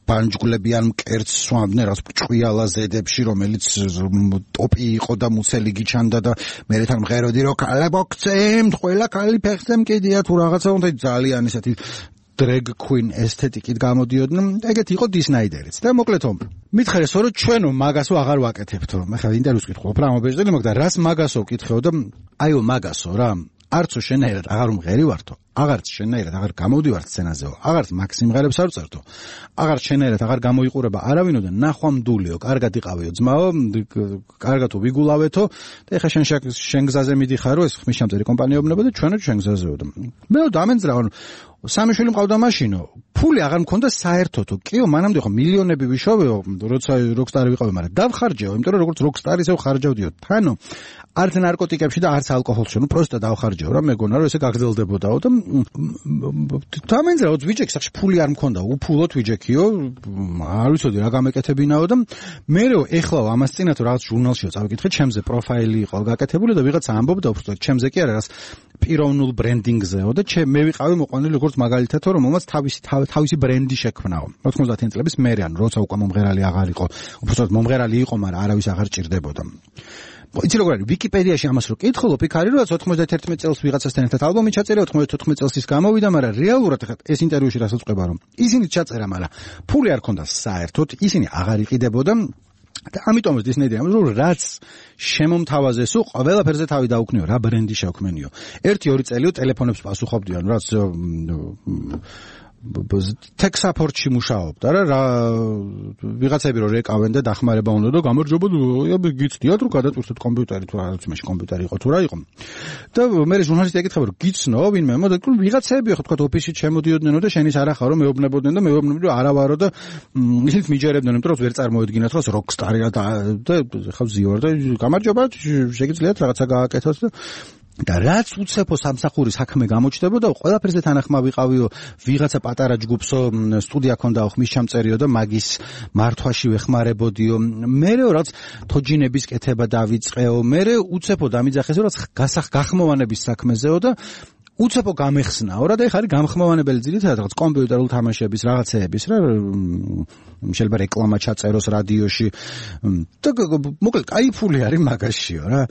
ბანჯგულებიან მკერდს სვამდნენ რაც ჭყიალა ზედებში, რომელიც ტოპი იყო და მუცელი გიჩანდა და მე თან მღეროდი რომ კალებოქცემ, ყველა კალი ფეხზე მკიდია თუ რაღაცა უნდა ძალიან ესეთი drag queen ესთეტიკით გამოდიოდნენ. ეგეთი იყო დისნაიდერიც. და მოკლედ მითხარეს რომ ჩვენო მაგასო აღარ ვაკეთებთო. მე ხა ინტერვიუს ვკითხულობ რა მობეჭდელი მაგ და რას მაგასო ვკითხეო და აიო მაგასო რა. არც შენაერად აღარ უმღერი ვართო. აღარც შენაერად აღარ გამოვდივარ სცენაზეო. აღარც მაგ სიმღერებს არ წერთო. აღარც შენაერად აღარ გამოიყურება არავინო და ნახვამდულიო, კარგად იყავეო ძმაო, კარგად ვიგულავეთო და ეხა შენ გზაზე მიდიხარო, ეს ხმისჩამწერი კომპანიებნება და ჩვენო შენ გზაზეო და მე დამენძრავ სამი შვილი მყავდა მაშინო, ფული აღარ მქონდა საერთოდო. კიო, მანამდე ხო მილიონები ვიშოვეო, როცა როკსტარი ვიყავი, მაგრამ დავხარჯეო, იმიტომ რომ როგორც როკსტარი ისევ ხარჯავდიო. თანო არც ნარკოტიკებში და არც ალკოჰოლში, ნუ პროსტა დავხარჯეო რა, მეგონა რომ ესე გაგრძელდებოდაო და დამენძრავ ვიჯექს, ახში ფული არ მქონდა, უფულოდ ვიჯექიო, არ ვიცოდი რა გამეკეთებინაო და მერე ეხლა ამას წინათ რაღაც ჟურნალშიო წავიკითხე, ჩემზე პროფაილი იყო გაკეთებული და ვიღაცა ამბობდა უბრალოდ ჩემზე კი არა, რაღაც პიროვნულ ბრენდინგზეო და მე ვიყავი მოყვანილი როგორც მაგალითად რომ მომაც თავისი ბრენდი შექმნაო. 90-იან წლების მერე, ანუ როცა უკვე მომღერალი აღარ იყო, უბრალოდ მომღერალი იყო, მაგრამ არავის აღარ ჭირდებოდა. იცი როგორ არის ვიკიპედიაში ამას რო კითხულობ, იქ არის რომ 91 წელს ვიღაცასთან ერთად ალბომი ჩაწერა, 94 წელს ის გამოვიდა, მაგრამ რეალურად ეს ინტერვიუში რასაც ყვება რომ ისინი ჩაწერა, მაგრამ ფული არ ქონდა საერთოდ, ისინი აღარ იყიდებოდა და ამიტომაც დისნეიდი ამბობს რომ რაც შემომთავაზესო, ყველაფერზე თავი დაუქნიო, რა ბრენდი შექმნიო. 1-2 წელიო ტელეფონებს პასუხობდიან, რაც tech support-ში მუშაობდა რა ვიღაცები რო რეკავენ და დახმარება უნდა და გამარჯობა გიცდიათ რომ გადაწყვეტეთ კომპიუტერი თუ რაღაც იმაში კომპიუტერი იყო თუ რა იყო და მე ჟურნალისტი ეკითხება რომ გიცნო ვინმე მოდი ვიღაცები ხო თქვა ოფისში შემოდიოდნენ და შენის არა ხარო მეუბნებოდნენ და მეუბნებოდნენ რომ არა ვარო და ისინი მიჯერებდნენ იმიტომ რომ ვერ წარმოედგინათ რომ როკსტარი რა და ხა ზიوار და გამარჯობა შეგიძლიათ რაღაცა გააკეთოთ და რაც უცებო სამსახურის საქმე გამოჩნდებოდა, ყველაფერზე თანახმა ვიყავიო, ვიღაცა პატარა ჯგუფსო, სტუდია ქონდაო, ხმისჩამწერიო და მაგის მართვაში ვეხმარებოდიო. მერე რაც თოჯინების კეთება დავიწყეო, მერე უცებო დამიძახესო, რაც გახმოვანების საქმეზეო და უცებო გამეხსნაო რა და ეხა არის გამხმოვანებელი ძირითადად რაღაც კომპიუტერულ თამაშების რაღაცეების რა შეიძლება რეკლამა ჩაწეროს რადიოში და მოკლედ კაი ფული არის მაგაშიო რა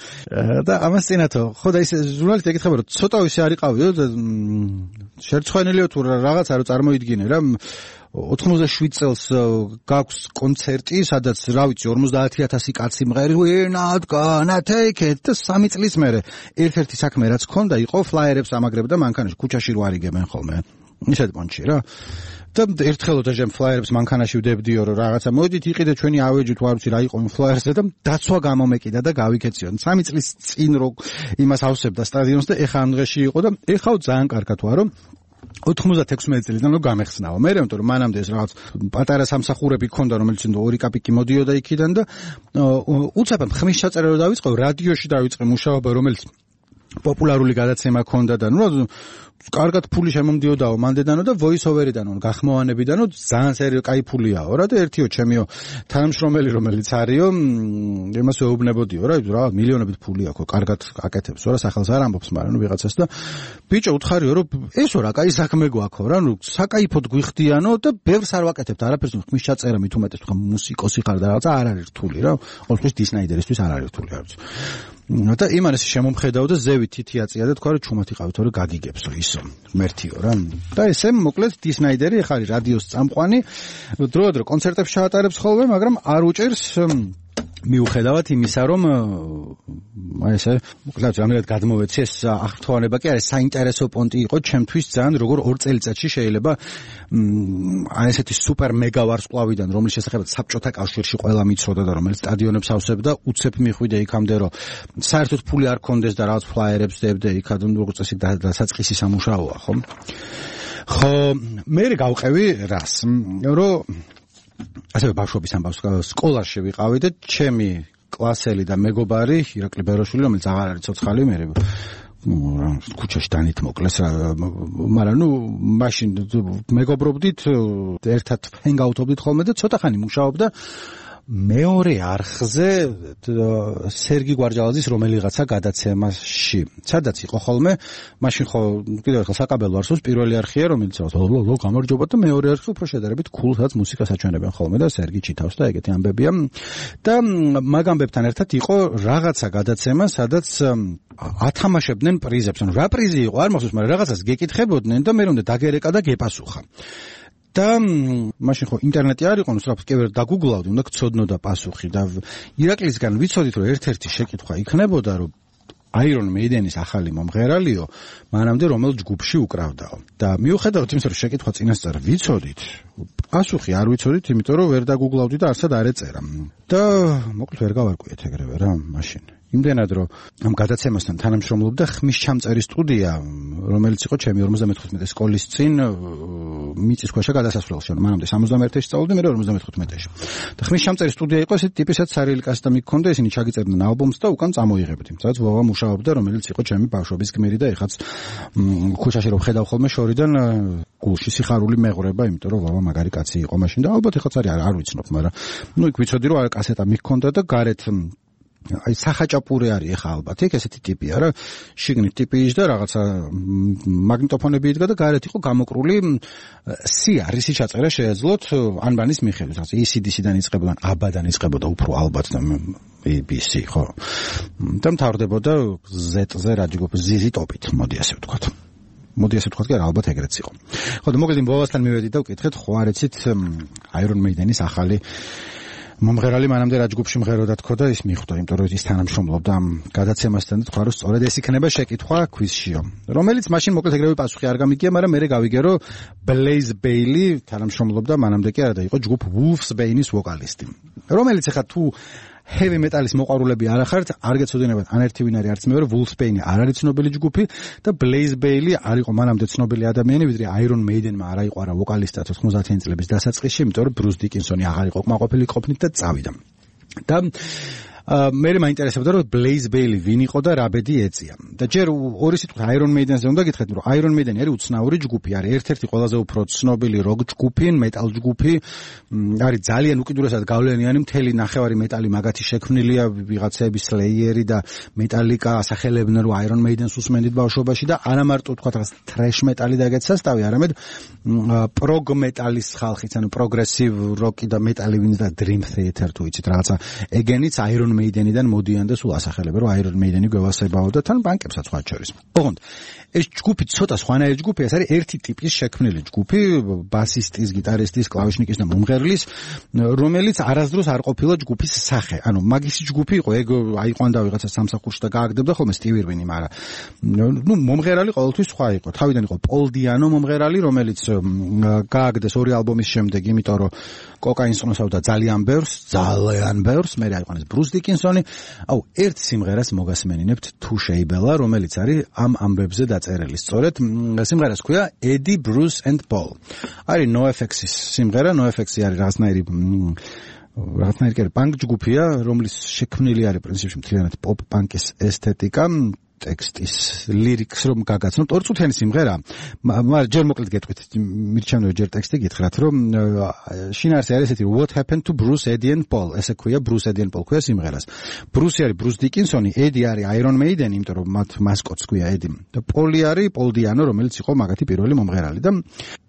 და ამას წინათო ხო და ის ჟურნალისტი ეკითხება რომ ცოტა ისე არიყავიო და შერცხვენილიო თუ რაღაცა რო წარმოიდგინე რა 97 წელს გაქვს კონცერტი, სადაც რა ვიცი 50000 კაცი მღერი ვინადგანა take it და 3 წლის მერე ერთ-ერთი საქმე რაც ქონდა იყო ფლაიერებს ამაგრებდა მანქანაში ქუჩაში რო არიგებენ ხოლმე ისეთ პონჩი რა და ერთხელ და ჟემ ფლაიერებს მანქანაში ვდებდიო რომ რაღაცა მოდით იყიდეთ ჩვენი ავეჯით ვარ ვიცი რა იყო იმ ფლაიერზე და დაცვა გამომეკიდა და გავიქეციო 3 წლის წინ რო იმას ავსებდა სტადიონს და ეხა ამ დღეში იყო და ეხაო ძალიან კარგად ვარო 96 წელიდან რო გამეხსნაო. მე რემონტო რომ მანამდე ეს რაღაც პატარა სამსახურები ქონდა, რომელიც 2 კაპიკი მოდიოდა იქიდან და უცებად ხმის ჩაწერა რო დავიწყო, რადიოში დავიწყე მუშაობა, რომელიც პოპულარული გადაცემა ქონდა და ნუ კარგად ფული შემომდიოდაო მანდედანო და voice-over-დანო გახმოვანებიდანო ძალიან სერიო კაი ფულიაო რა და ერთიო ჩემიო თანამშრომელი რომელიც არისო იმას ეუბნებოდიო რა მილიონობით ფული აქვს კარგად აკეთებსო რა სახელს არ ამბობს მაგრამ ვიღაცას და ბიჭო უთხარიო რომ ესო რა კაი საქმე გვაქვს რა საკაიფოდ გვიხდიანო და ბევრს არ ვაკეთებთ არაფერს ხმის ჩაწერა მით უმეტეს თქვა მუსიკოსი ხარ და რაღაცა არ არის რთული რა ყოველთვის დისნაიდერისთვის არ არის რთული არც და იმანეს შემომხედავ და ზევით თითი აწია და თქვა რომ ჩუმად იყავით რომ გაგიგებსო ისო მერთიო რა და ესე მოკლედ დისნაიდერი ეხა არის რადიოს წამყვანი დროდადრო კონცერტებს ჩაატარებს ხოლმე მაგრამ არ უჭერს მიუხედავად იმისა რომ აი ესე მოკლედ რამე გადმოვეცი ეს აღფრთოვანება კი არის საინტერესო პონტი იყო ჩემთვის ძალიან როგორ 2 წელიწადში შეიძლება აი ესეთი სუპერ მეგა ვარსკვლავიდან რომლის შესახებაც საბჭოთა კავშირში ყველა მიცოდა და რომელიც სტადიონებს ავსებდა უცებ მიხვიდე იქამდე რომ საერთოდ ფული არ კონდეს და რაღაც ფლაიერებს დებდე იქად როგორც წესი დასაწყისი სამუშაოა ხო ხო მე გავყევი რას რომ ასევე ბავშვობის ამბავს სკოლაში ვიყავი და ჩემი კლასელი და მეგობარი ირაკლი ბეროშვილი რომელიც აღარ არის ცოცხალი მე ქუჩაში დანით მოკლეს რა მაგრამ ნუ მაშინ მეგობრობდით ერთად ჰენგაუთობდით ხოლმე და ცოტა ხანი მუშაობდა მეორე არხზე სერგი გვარჯალაძის რომელიღაცა გადაცემაში სადაც იყო ხოლმე მაშინ ხო კიდევ ერთხელ საკაბელო არსოს პირველი არხია რომელიც ლო გამარჯობა და მეორე არხი უფრო შედარებით cool-საც მუსიკას აჩვენებენ ხოლმე და სერგი ჩითავს და ეგეთი ამბებია და მაგ ამბებთან ერთად იყო რაღაცა გადაცემა სადაც ათამაშებდნენ პრიზებს ანუ რა პრიზი იყო არ მახსოვს მაგრამ რაღაცას გეკითხებოდნენ და მე რომ დაგერეკა და გეპასუხა და მაშინ ხო ინტერნეტი არ იყო, სწრაფად კი ვერ დაგუგლავდი, უნდა გწოდნოდა პასუხი და ირაკლისგან ვიცოდით რომ ერთ-ერთი შეკითხვა იქნებოდა რომ Iron Maiden-ის ახალი მომღერალიო, მანამდე რომელ ჯგუფში უკრავდაო. და მიუხედავად იმისა რომ შეკითხვა წინასწარ ვიცოდით, პასუხი არ ვიცოდით, იმიტომ რომ ვერ დაგუგლავდი და არცად არ ეწერა. და მოკლედ ვერ გავარკვიეთ ეგრევე რა, მაშინ. იმდენად რომ ამ გადაცემასთან თანამშრომლობდა ხმის ჩამწერი სტუდია, რომელიც იყო ჩემი 55 სკოლის წინ მიწისქვეშა გადასასვლელში. მანამდე 71-ში სწავლობდი, მე 55-ში. და ხმის ჩამწერი სტუდია იყო ესეთი ტიპისაც სარიელი კასტომი ჰქონდა, ისინი ჩაგიწერდნენ ალბომს და უკან წამოიღებდი. სადაც ვავა მუშაობდა, რომელიც იყო ჩემი ბავშვობის გმირი და ეხაც ქუჩაში რომ ხედავ ხოლმე შორიდან გულში სიხარული მეღრება, იმიტომ რომ ვავა მაგარი კაცი იყო მაშინ და ალბათ ეხაც არ ვიცნობ, მაგრამ ნუ იქ ვიცოდი რომ კასეტა მიქონდა და გარეთ აი სახაჭაპური არის ახლა ალბათ იქ ესეთი ტიპია რა შიგნით ტიპი იჯდა რაღაცა მაგნიტოფონები იდგა და გარეთ იყო გამოკრული სიარისი ჩაწერა შეეძლოთ ანბანის მიხედვით რაღაცა ECDC-დან იწყებოდა ABBA-დან იწყებოდა უფრო ალბათ და BBC ხო და მთავრდებოდა Z-ზე რა ჯგუფ ZZ Top-ით მოდი ასე ვთქვათ მოდი ასე ვთქვათ კი არა ალბათ ეგრეც იყო ხო და მოგედი ბოლოსთან მივედი და ვკითხეთ ხო არ იცით Iron Maiden-ის ახალი მომღერალი მანამდე რა ჯგუფში მღეროდა თქო და ის მიხვდა, იმიტომ რომ ის თანამშრომლობდა ამ გადაცემასთან და თქვა რომ სწორედ ეს იქნება შეკითხვა კვიზშიო. რომელიც მაშინ მოკლედ ეგრევე პასუხი არ გამიგია, მაგრამ მე გავიგე რომ Blaze Bayley თანამშრომლობდა მანამდე კი არა და იყო ჯგუფ Wolfsbane-ის ვოკალისტი. რომელიც ახლა თუ heavy metal-ის მოყვარულები არ ახართ, არ გეცოდინებათ ან ერთი ვინ არის არც მეორე, Wolfsbane არ არის ცნობილი ჯგუფი და Blaze Bayley არ იყო მანამდე ცნობილი ადამიანი, ვიდრე Iron Maiden-მა არ აიყვარა ვოკალისტად 90-იანი წლების დასაწყისში, იმიტომ რომ Bruce Dickinson-ი აღარ იყო კმაყოფილი ყოფნით და წავიდა. და მე მაინტერესებდა რომ Blaze Bayley ვინ იყო და რა ბედი ეწია. და ჯერ ორი სიტყვით Iron Maiden-ზე უნდა გითხრათ, რომ Iron Maiden არის უცნაური ჯგუფი, არის ერთ-ერთი ყველაზე უფრო ცნობილი როკ ჯგუფი, მეტალ ჯგუფი, არის ძალიან უკიდურესად გავლენიანი, მთელი ნახევარი მეტალი მაგათი შექმნილია, ვიღაცები Slayer-ი და Metallica ასახელებდნენ რომ Iron Maiden-ს უსმენდით ბავშვობაში და არა მარტო თქვა რაღაც thrash metal-ი დაგეთ სასტავი, არამედ prog metal-ის ხალხიც, ანუ progressive rock-ი და metal-ი ვინც და Dream Theater თუ იცით რაღაცა ეგენიც Iron Maiden-დან მოდიან და სულ ასახელებენ რომ Iron Maiden-ი გვევასებაო და თან ბანკებსაც სხვა შორის. ოღონდ ეს ჯგუფი ცოტა სხვანაირი ჯგუფია, ეს არის ერთი ტიპის შექმნილი ჯგუფი, ბასისტის, გიტარისტის, კლავიშნიკის და მომღერლის, რომელიც არასდროს არ ყოფილა ჯგუფის სახე. ანუ მაგისი ჯგუფი იყო, ეგ აიყვანდა ვიღაცა სამსახურში და გააგდებდა ხოლმე Steve Irwin-ი, მაგრამ ნუ მომღერალი ყოველთვის სხვა იყო. თავიდან იყო Paul Diano მომღერალი, რომელიც გააგდეს ორი ალბომის შემდეგ, იმიტომ რომ კოკაინს ყნოსავდა ძალიან ბევრს, მე აიყვანეს Bruce Dickinson-ი. აუ, ერთ სიმღერას მოგასმენინებთ თუ შეიბელა, რომელიც არის ამ ამბებზე დაწერილი. სწორედ სიმღერას ქვია Eddie, Bruce and Paul. არის NoFX-ის სიმღერა, NoFX-ი არის რაღაცნაირი პანკ ჯგუფია, რომლის შექმნილი არის პრინციპში მთლიანად პოპ პანკის ესთეტიკა. ტექსტის ლირიკს რომ გაგაცნობთ, 2 წუთიანი სიმღერა. მაგრამ ჯერ მოკლედ გეტყვით, მირჩევნო ჯერ ტექსტი გითხრათ, რომ შინაარსი არის ესეთი What happened to Bruce, Eddie and Paul? ესე ქვია Bruce, Eddie and Paul ქვია სიმღერას. Bruce არის Bruce Dickinson-ი, Eddie არის Iron Maiden, იმიტომ რომ მათ მასკოტს ქვია Eddie. და Paul არის Paul Diano, რომელიც იყო მაგათი პირველი მომღერალი და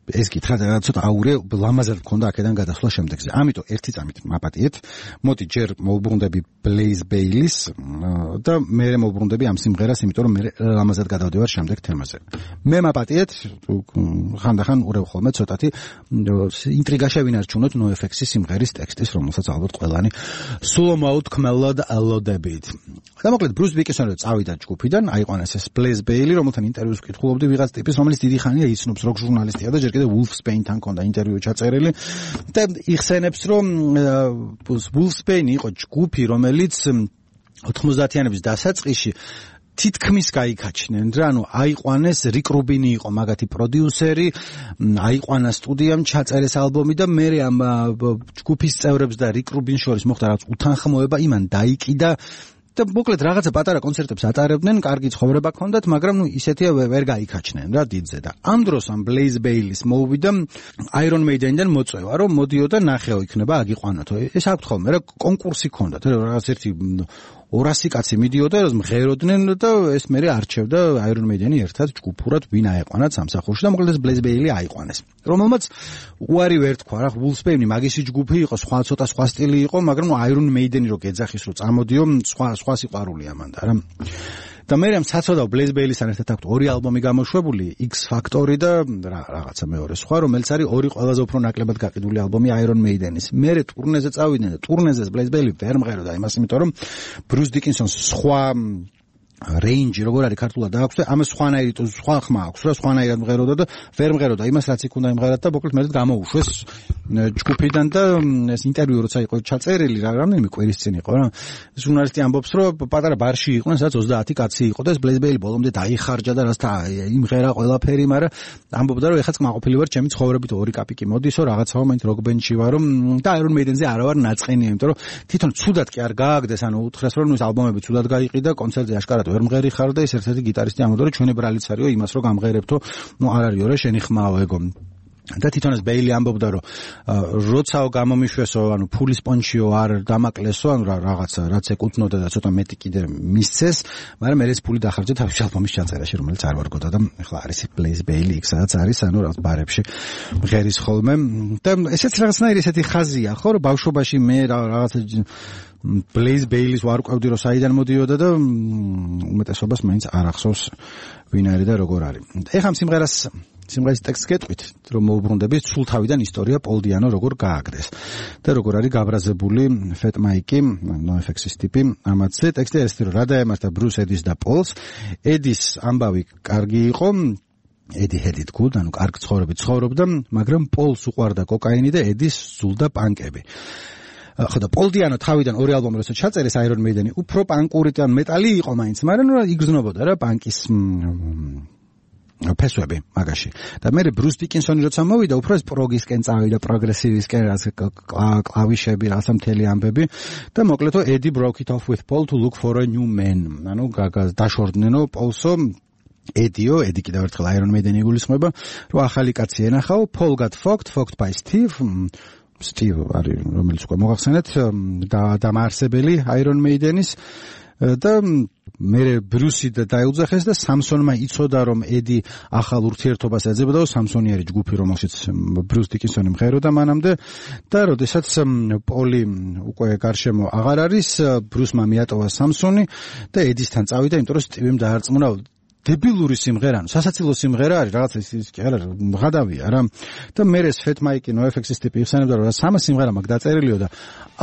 ეს კითხა ცოტა აურე ლამაზად მქონდა აქედან გადასვლა შემდეგზე. ამიტომ ერთი წამით მაპატიეთ. მოდი ჯერ მოვუბრუნდები Blaze Bayley-ს და მე მოვუბრუნდები ამ სიმღერას, იმიტომ რომ მე ლამაზად გადავდივარ შემდეგ თემაზე. მე მაპატიეთ, ხანდახან ურევ ხოლმე ცოტათი ინტრიგა შევინარჩუნოთ NoFX-ის სიმღერის ტექსტის, რომელსაც ალბათ ყველანი სულომაოდ კმელად ალოდებით. და მოკლედ Bruce Dickinson-ი წავიდა ჯგუფიდან, აიყვანეს ეს Blaze Bayley, რომელთან ინტერვიუს ვკითხულობდი ვიღაც ტიპის, რომელიც დიდი ხანია იცნობს როკ ჟურნალისტია და ჯერ კიდე Wolfsbane-თან ქონდა ინტერვიუ ჩაწერილი და იხსენებს რომ Wolfsbane იყო ჯგუფი, რომელიც 90-იანების დასაწყისში თითქმის გაიქაჩნენ რა, ანუ აიყვანეს Rick Rubin იყო მაგათი პროდიუსერი, აიყვანა სტუდიამ ჩაწერეს ალბომი და მე ამ ჯგუფის წევრებს და Rick Rubin შორის მოხდა რაღაც უთანხმოება, იმან დაიკიდა და მოკლედ რაღაცა პატარა კონცერტებს ატარებდნენ, კარგი ცხოვრება ჰქონდათ, მაგრამ ისეთია ვერ გაიქაჩნენ რა დიდზე და ამ დროს ამ Blaze Bayley-ს მოვიდა Iron Maiden-დან მოწვევა, რომ მოდიო და ნახეო იქნება აგიყვანათო. ეს აქვთ ხოლმე რა კონკურსი ჰქონდათ, რაღაც ერთი 200 კაცი მიდიოდა, მღეროდნენ და ეს მერე არჩევდა Iron Maiden-ი ერთად ჯგუფურად ვინ აეყვანათ სამსახურში და მოკლედ ეს Blaze Bayley აიყვანეს. რომელმაც უარი ვერ თქვა რა, Wolfsbane მაგისი ჯგუფი იყო, ცოტა სხვა სტილი იყო, მაგრამ Iron Maiden-ი რო გეძახის რო წამოდიო, სხვა სიყვარულია მანდა რა. და მე რამ საცოდავ Blaze Bayley-სთან ერთად აქვს 2 ალბომი გამოშვებული, X Factory და რაღაცა მეორე სხვა, რომელიც არის 2 ყველაზე უფრო ნაკლებად გაყიდული ალბომი Iron Maiden-ის. მე ტურნეზე წავიდნენ და ტურნეზე Blaze Bayley ვერ მღეროდა იმას, იმიტომ რომ Bruce Dickinson-ს სხვა range როგორ არის ქართულად აქვს და ამას სხვანაირი სხვა ხმა აქვს რა, სხვანაირად მღეროდა და ვერ მღეროდა იმას, რაც იქ უნდა იმღერათ და მოკლედ მე გამოუშვეს ჯგუფიდან და ეს ინტერვიუ როცა იყო ჩაწერილი რამდენიმე კვირის წინ იყო რა, ჟურნალისტი ამბობს რომ პატარა ბარში იყვნენ, სადაც 30 კაცი იყო და ეს Blaze Bayley ბოლომდე დაიხარჯა და რასთან იმღერა ყველაფერი, მაგრამ ამბობდა რომ ეხლა წმაყოფილი ვარ ჩემი ცხოვრებით 2 კაპიკი მოდისო, რაღაცაო მაინც როკ ბენდში ვარო და Iron Maiden-ზე არა ვარ ნაწყენია, იმიტომ რომ თვითონ ცუდად კი არ გააგდეს, ანუ უთხრეს რომ ეს ალბომები ცუდად გაიყიდა, კონცერტზე აშკარად ვერ მღერი ხარ და ეს ერთ-ერთი გიტარისტი ამბობდა რომ ჩვენი ბრალიც არისო იმას რომ გამღერებთო, არ არისო რა შენი ხმაო ეგო. და თვითონ ეს Bayley ამბობდა რომ როცაო გამომიშვესო, ანუ ფულის პონჩიო არ დამაკლესო, ანუ რაღაცა რაც ეკუთვნოდა და ცოტა მეტი კიდე მისცეს, მაგრამ მე ეს ფული დახარჯა თავის ალბომის ჩაწერაში, რომელიც არ ვარგოდა და ეხლა არის Blaze Bayley, იქ სადაც არის, ანუ რაღაც ბარებში მღერის ხოლმე და ესეც რაღაცნაირი ესეთი ხაზია ხო, რომ ბავშვობაში მე რაღაცა Blaze Bayley-ს ვარ ვყავდი რომ საიდან მოდიოდა და უმეტესობას მაინც არ ახსოვს ვინ არის და როგორ არის. ეხლა სიმღერის ტექსტს გეტყვით, რომ მოვუბრუნდები სულ თავიდან ისტორია Paul Diano როგორ გააგდეს და როგორ არის გაბრაზებული Fat Mike-ი, NoFX-ის ტიპი. ამათზე ტექსტი არის რომ რა დაემართა Bruce, Eddie-ს და Paul-ს. Eddie-ს ამბავი კარგი იყო, Eddie had it good, ანუ კარგ ცხოვრებით ცხოვრობდა, მაგრამ Paul-ს უყვარდა კოკაინი და Eddie-ს სულდა პანკები. ხო და Paul Diano თავიდან 2 ალბომი როცა ჩაწერეს Iron Maiden-ი უფრო პანკური და მეტალი იყო მაინც, მაგრამ იგრძნობოდა რა პანკის ფესვები მაგაში. და მე Bruce Dickinson-ი როცა მოვიდა, უფრო ეს პროგისკენ წავიდა, პროგრესივისკენ, კლავიშები, რაღაცა მთელი ამბები და მოკლედო Eddie broke it off with Paul to look for a new man. ანუ დაშორდნენო Paul-სო Eddie კიდევ ერთხელ Iron Maiden-ი გულისხმობა, რომ ახალი კაცი ენახაო, Paul got fucked by Steve არის, რომელიც უკვე მოახსენეთ, დამაარსებელი Iron Maiden-ის და მე Bruce-ი დაეუძახეს და Samson-მა იცოდა რომ Eddie ახალ ურთიერთობას ეძებდა, Samson-ი არის ჯგუფი, რომელშიც Bruce Dickinson-ი მღეროდა მანამდე და როდესაც Paul-ი უკვე გარშემო აღარ არის, Bruce-მა მიატოვა Samson-ი და Eddie-სთან წავიდა, იმიტომ რომ Steve-ი დაარწმუნა დებილური სიმღერა, სასაცილო სიმღერა არის, რაღაცა ის კი არა, მღადავია რა. და მე ეს Fat Mike-ი NoFX-ის ტიპი იხსენებდა, რომ სამა სიმღერა მაგ დაწერილიო და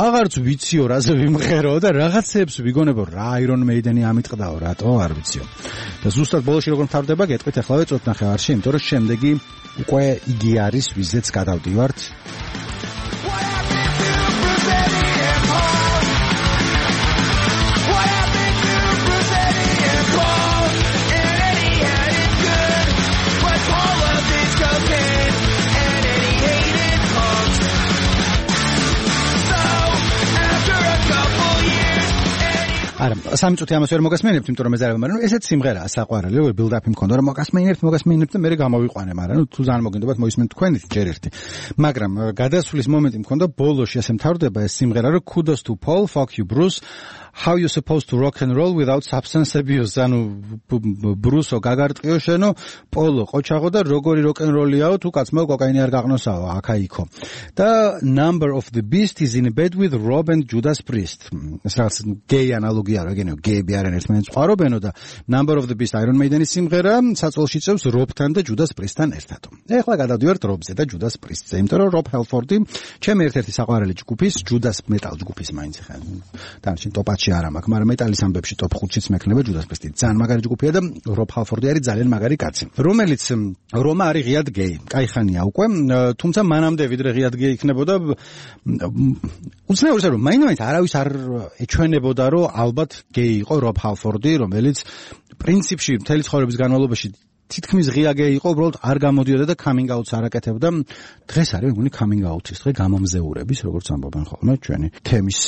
აღარც ვიციო რაზე ვიმღერო და რაღაცებს ვიგონებო რა Iron Maiden-ი ამიტყდაო, რატო არ ვიციო. და ზუსტად ბოლოში როგორ მთავრდება, გეტყვით ახლავე წოთნახევარში, იმიტომ რომ შემდეგი უკვე იგი არის, ვიზეც გადავდივართ. არა, 3 წუთი ამას ვერ მოგასმენებთ, იმიტომ რომ მეზარება, მაგრამ ესეც სიმღერაა საყვარელი, build-up მქონდა, რომ მოგასმენებთ და მე გამოვიყვანე, მაგრამ თუ ძალიან მოგინდობათ მოისმენთ თქვენით ჯერ ერთი. მაგრამ გადასვლის მომენტი მქონდა, ბოლოში ასე მთავრდება ეს სიმღერა, რომ kudos to Paul, fuck you Bruce. How you supposed to rock and roll without substance abuse? ანუ ბრუსო გაგარტყიო შენო, პოლო ყოჩაღო და როგორი rock and roll-იაო, თუ კაცმო კოკაინი არ გაღნოსაო, აქა-იქო. და Number of the Beast is in bed with Rob and Judas Priest. ეს რაღაც gay ანალოგია რა გენიო, გეები არიან ერთმანეთს ყარობენო და Number of the Beast Iron Maiden-ის სიმღერა საწოლში წევს Rob-თან და Judas Priest-თან ერთად. ეხლა გადავდივართ Rob-ზე და Judas Priest-ზე, იმიტომ რომ Rob Halford-ი ჩემი ერთ-ერთი საყვარელი ჯგუფის, Judas Metal ჯგუფის მაინც ხა. დანარჩენ ტოპ-10-ში არ მაქვს, მაგრამ მეტალის ამბებში ტოპ 5-შიც მექნება Judas Priest. ძალიან მაგარი ჯგუფია და Rob Halford არის ძალიან მაგარი კაცი, რომელიც რომა არის ღიად გეი. კაიხანია უკვე, თუმცა მანამდე ვიდრე ღიად გეი იქნებოდა, უცნაურია რომ მაინც არავის არ ეჩვენებოდა, რომ ალბათ გეი იყო Rob Halford-ი, რომელიც პრინციპში მთელი ცხოვრების განმავლობაში თითქმის ღია გეი იყო, უბრალოდ არ გამოდიოდა და coming out-ს არ აკეთებდა. დღეს არის მეგონი coming out-ის დღე, გამომზეურების, როგორც ამბობენ ხოლმე ჩვენი თემის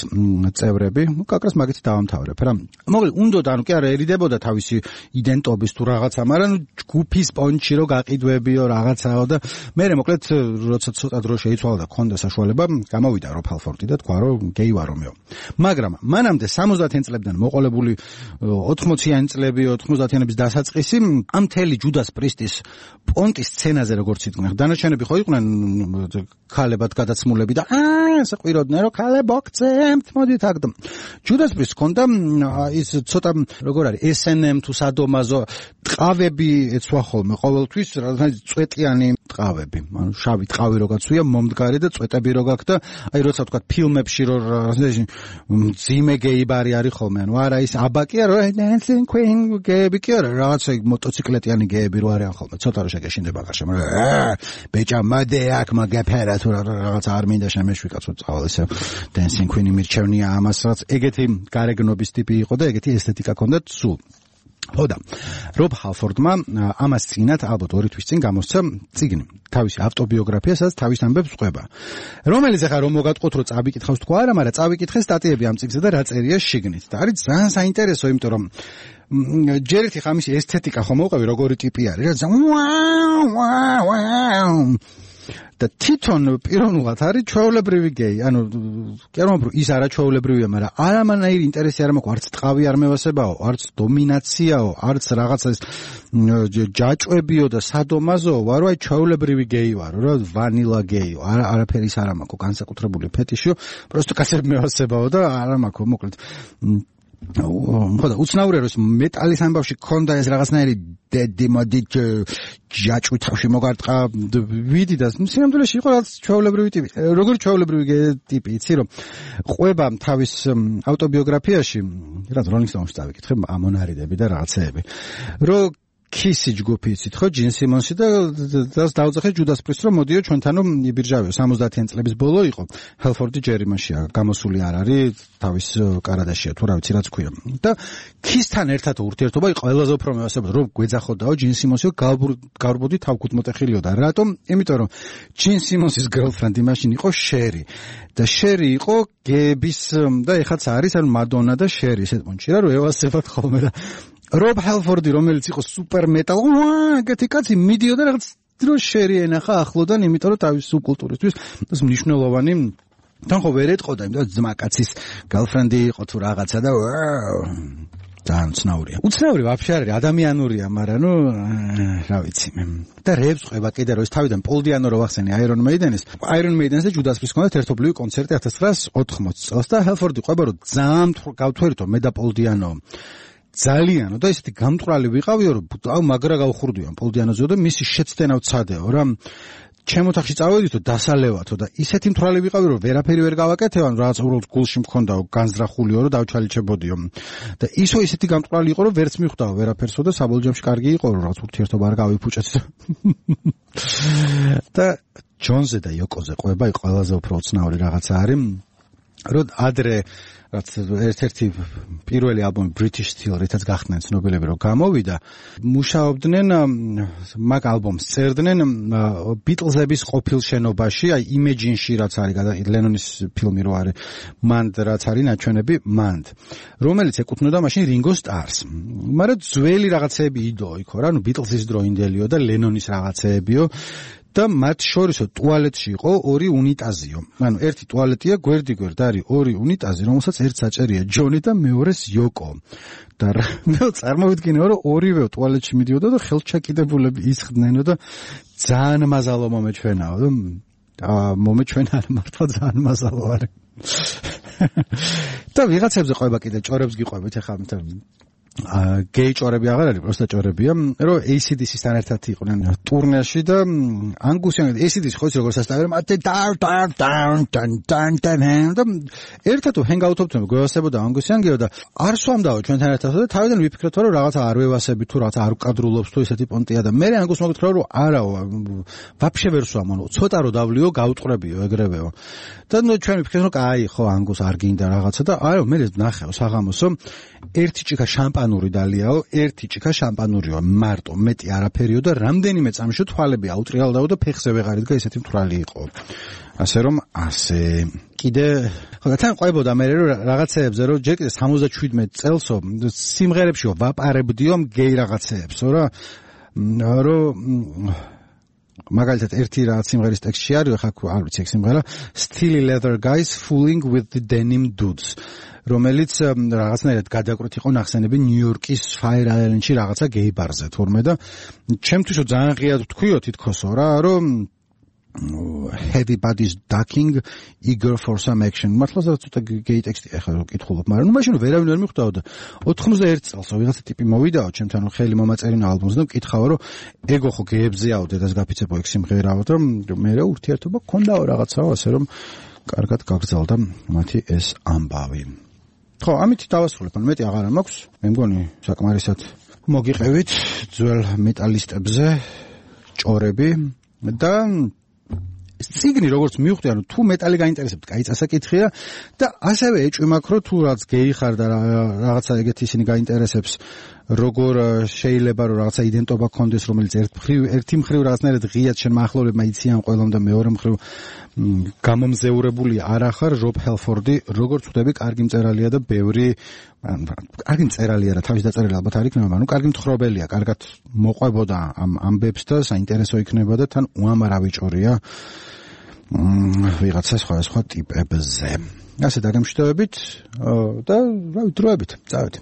წევრები. კაკრას მაგით დავამთავრებ რა. მოკლედ, უნდოდა, ანუ კი არა ერიდებოდა თავისი იდენტობის თუ რაღაცა, მაგრამ ჯგუფის პონჩი რო გაყიდვებიო რაღაცაო და მე მოკლედ როცა ცოტა დრო შეიცვალა და ქონდა საშუალება, გამოვიდა Rob Halford-ი და თქვა რომ გეი ვარო მეო. მაგრამ მანამდე 70-იან წლებიდან მოყოლებული 80-იანი წლები, 90-იანების დასაწყისი ამ მთელი Judas Priest-ის პონტის სცენაზე როგორც იყვნენ. დანარჩენები ხო იყვნენ ქალებად გადაცმულები და ესე ყვიროდნენ რომ ქალებო გწემთ მოდით აქ და Judas Priest კონდა ის ცოტა როგორ არის S&M თუ სადომაზო ტყავები ეცვა ხოლმე ყოველთვის წვეტიანი ტყავები. ანუ შავი ტყავი რო გაცვია მომდგარი და წვეტები რო გაქვს და აი როცა თქვა ფილმებში რო ძიმე გეიბარი არის ხოლმე. ანუ არა ის აბაკია რო Dancing Queen გეები კი არა რაღაცა მოტოციკლეტიანი გეები რო არიან ხოლმე. ცოტა რო შეგეშინდება გარშემო. ბეჭა მოდე აქ მაგაფერა თუ რაღაც არ მინდა შემეშვიკაც წავალ ესე Dancing Queen მირჩევნია ამას რაც ეგეთი გარეგნობის ტიპი იყო და ეგეთი ესთეტიკა ჰქონდა სულ. ხოდა Rob Halford-მა ამას წინათ ალბათ 2 თვის წინ გამოსცა წიგნი თავისი ავტობიოგრაფია, სადაც თავის ამბებს ყვება. რომელიც ახლა რომ მოგატყოთ რომ წავიკითხავს თქვა არა, მაგრამ წავიკითხე სტატიები ამ წიგნზე და რა წერია შიგნით. და არის ძალიან საინტერესო, იმიტომ რომ ჯერ ერთი ხამის ესთეტიკა ხომ მოვყევი როგორი ტიპი არის რა და თვითონ პიროვნულად არის ჩვეულებრივი გეი. ანუ კი არ მომბრო ის არაჩვეულებრივია, მაგრამ არამანაირი ინტერესი არ მაქვს, არც ტყავი არ მევასებაო, არც დომინაციაო, არც რაღაცა ჯაჭვებიო და სადომაზო ვარო, აი ჩვეულებრივი გეი ვარო რა, ვანილა გეიო. არაფერი ის არ მაქვს განსაკუთრებული ფეტიშიო, პროსტო კაცები მევასებაო და არ მაქვს მოკლედ ხოდა უცნაურია რომ მეტალის ამბავში ქონდა ეს რაღაცნაირი დემოდი ჯაჭვი თავში მოგარტყა ვიდი და სინამდვილეში იყო რაღაც ჩვეულებრივი ტიპი. როგორი ჩვეულებრივი ტიპი, იცი რომ ყვება თავის ავტობიოგრაფიაში, რაც Rolling Stones-ში დავიკითხე, ამონარიდები და რაღაცეები. რომ Kiss ჯგუფი იცით ხო, Gene Simmons-ი და დავძახე Judas Priest რომ მოდიო ჩვენთანო იბირჟავიო 70-იან წლების ბოლო იყო. Halford-ი ჯერ იმაშია, გამოსული არ არის, თავის კარადაშია თუ რა ვიცი რაც ქვია. და Kiss-თან ერთად ურთიერთობა ყველაზე უფრო მევასებოდა რომ გვეძახოდაო Gene Simmons-ი გავრბოდი თავკუთმოტეხილიო და რატომ? იმიტომ რომ Gene Simmons-ის girlfriend იმაშინ იყო Sherry. და Sherry იყო გეების და ეხაც არის ან Madonna და Sherry ესეთ პონჩი რა რომ ევასებათ ხოლმე და Rob Halford-ი რომელიც იყო super metal, ეგეთი კაცი მიდიოდა რაღაც დრო Sherry ენახა ახლოდან, იმიტომ რომ თავის სუბკულტურისთვის ეს მნიშვნელოვანი თან ხო ვერ ეტყოდა, იმიტომ რომ ძმა კაცის girlfriend-ი იყო თუ რაღაცა და ძალიან ცნაურია. უცნაური ვაფშე არის, ადამიანურია, მაგრამ ნუ რა ვიცი მე. და რეებს ყვება კიდე რომ ეს თავიდან Paul Diano რო ვახსენე Iron Maiden-ს და Judas Priest-ს ჰქონდათ ერთობლივი კონცერტი 1980 წელს და Halford-ი ყვება რომ ძალიან გავთვერითო მე და Paul Diano ძალიან და ისეთი გამტვრალი ვიყავიო რომ აუ მაგრა გავხურდიო Paul Diano-ზე და მისი შეცდენა ვცადეო რა ჩემ ოთახში წავედითო დასალევათო და ისეთი მთვრალი ვიყავი რომ ვერაფერი ვერ გავაკეთებო რაღაც უბრალოდ გულში მქონდაო განზრახულიო რომ დავჩალიჩებოდიო და ისეთი გამტვრალი იყო რომ ვერც მიხვდაო ვერაფერსო და საბოლოოში კარგი იყო რომ რაღაც ურთიერთობა არ გავიფუჭეთ და ჯონზე და იოკოზე ყვება ყველაზე უფრო უცნაური რაღაცა არის რომ ადრე რაც ერთ-ერთი პირველი ალბომი British Steel, რითაც გახდნენ ცნობილები, რომ გამოვიდა, მუშაობდნენ მაგ ალბომს წერდნენ Beatles-ების ყოფილ შენობაში, აი Imagine-ში რაც არის ლენონის ფილმი რო არის, მანდ რაც არის ნაჩვენები მანდ, რომელიც ეკუთვნოდა მაშინ Ringo Starr-ს. მაგრამ ძველი რაღაცეები იდო იქო რა, ნუ Beatles-ის დროინდელიო და ლენონის რაღაცეებიო. და მათ შორისო ტუალეტში იყო ორი უნიტაზიო. ანუ ერთი ტუალეტია გვერდიგვერდ არის ორი უნიტაზი, რომელსაც ერთ საჭერია ჯონი და მეორეს იოკო. და წარმოვიდგინეო, რომ ორივე ტუალეტში მიდიოდა და ხელჩაკიდებულები ისხდნენო და ძალიან მაზალო მომეჩვენაო. მომეჩვენა მართლა ძალიან მაზალო არის. და ვიღაცებზე ყვება კიდე ჭორებს გიყვებით ახლა გეი ჭორები აღარ არის, პროსტა ჭორებია, რომ AC/DC-სთან ერთად იყვნენ ტურნეში და ანგუსიანი AC/DC ხო იცი როგორ სასტავებენ, და ერთად ჰენგაუთობდნენ, გვევასებოდა ანგუსიანგიო და არ სვამდაო ჩვენთან ერთად და თავიდან ვიფიქრეთ, რომ რაღაცა არ ვევასები თუ რაღაცა არ უკადრულობს თუ ესეთი პონტია და მე ანგუს მოგეთხრა, რომ არაო, ვაფშე ვერ სვამონო, ცოტა რო დავლიო, გაუტყრებიო ეგრევეო. და ნუ ჩვენ ვიფიქრეთ, რომ აი ხო ანგუს არ გინდა რაღაცა და არა, მე ნახეო საღამოსო ერთი ჭიქა შამპანური დალიაო, ერთი ჭიქა შამპანურიო, მარტო, მეტი არაფერიო და რამდენიმე წამში თვალები აუტრიალდაო და ფეხზე ვეღარ იდგა, ესეთი მთვრალი იყო. ასე რომ, ასე. კიდე, ხო, თან ყვებოდა მე რომ რაღაცეებზე, რომ ჯერ კიდე 77 წელსო სიმღერებშიო ვაპარებდიო გეი რაღაცეებსო რა, რომ მაგალითად ერთი რაღაც სიმღერის ტექსტში არის, ხა არ ვიცი ეგ სიმღერა, Steely Leather Guys Fooling with the Denim Dudes, რომელიც რაღაცნაირად გადაკრით იყო ნახსენები ნიუ-იორკის Fire Island-ში რაღაცა გეი ბარზე თურმე და ჩემთვის ძალიან ღია თქვიო თითქოსო რა, რომ everybody's ducking eager for some action. მართლა ცოტა გეი ტექსტი ახლა რო კითხულობ, მაგრამ ნუ მაშინ ვერავინ ვერ მიხვდაო და 91 წელსო ვიღაცა ტიპი მოვიდაო ჩემთან ხელი მომაწერინა ალბომს და მკითხავ რომ ეგო ხო გეებზეაო დედას გაფიცებო ეგ სიმღერაო და მე რა ურთიერთობა გქონდაო რაღაცაო, ასე რომ კარგად გაგრძელდა მათი ეს ამბავი. ხო, ამით დავასრულებ, ანუ მეტი აღარა მაქვს. მე მგონი საკმარისად მოგიყევით ძველ მეტალისტებზე ჭორები და ციგნი როგორც მივხვდი, ანუ თუ მეტალი გაინტერესებთ, კაი წასაკითხია და ასევე ეჭვი მაქვს, რომ თუ რაც გეი ხარ და რაღაცა ეგეთი ისინი გაინტერესებს, როგორ შეიძლება რომ რაღაცა იდენტობა გქონდეს, რომელიც ერთი მხრივ რაღაცნაირად ღიად შენ მახლობლებმა იციან ყველამ და მეორე მხრივ გამომზეურებული არ ახარ, რობ ჰელფორდი, როგორც ვხვდები, კარგი მწერალია და ბევრი კარგი მწერალია რა, თავის დაწერილი ალბათ არ იქნება, მაგრამ კარგი მთხრობელია, კარგად მოყვებოდა ამ ამბებს და საინტერესო იქნება და თან უამრავი ჭორია ვიღაცა სხვა ტიპებზე. ასე დაგემშვიდობებით და რა დროებით, წავედი.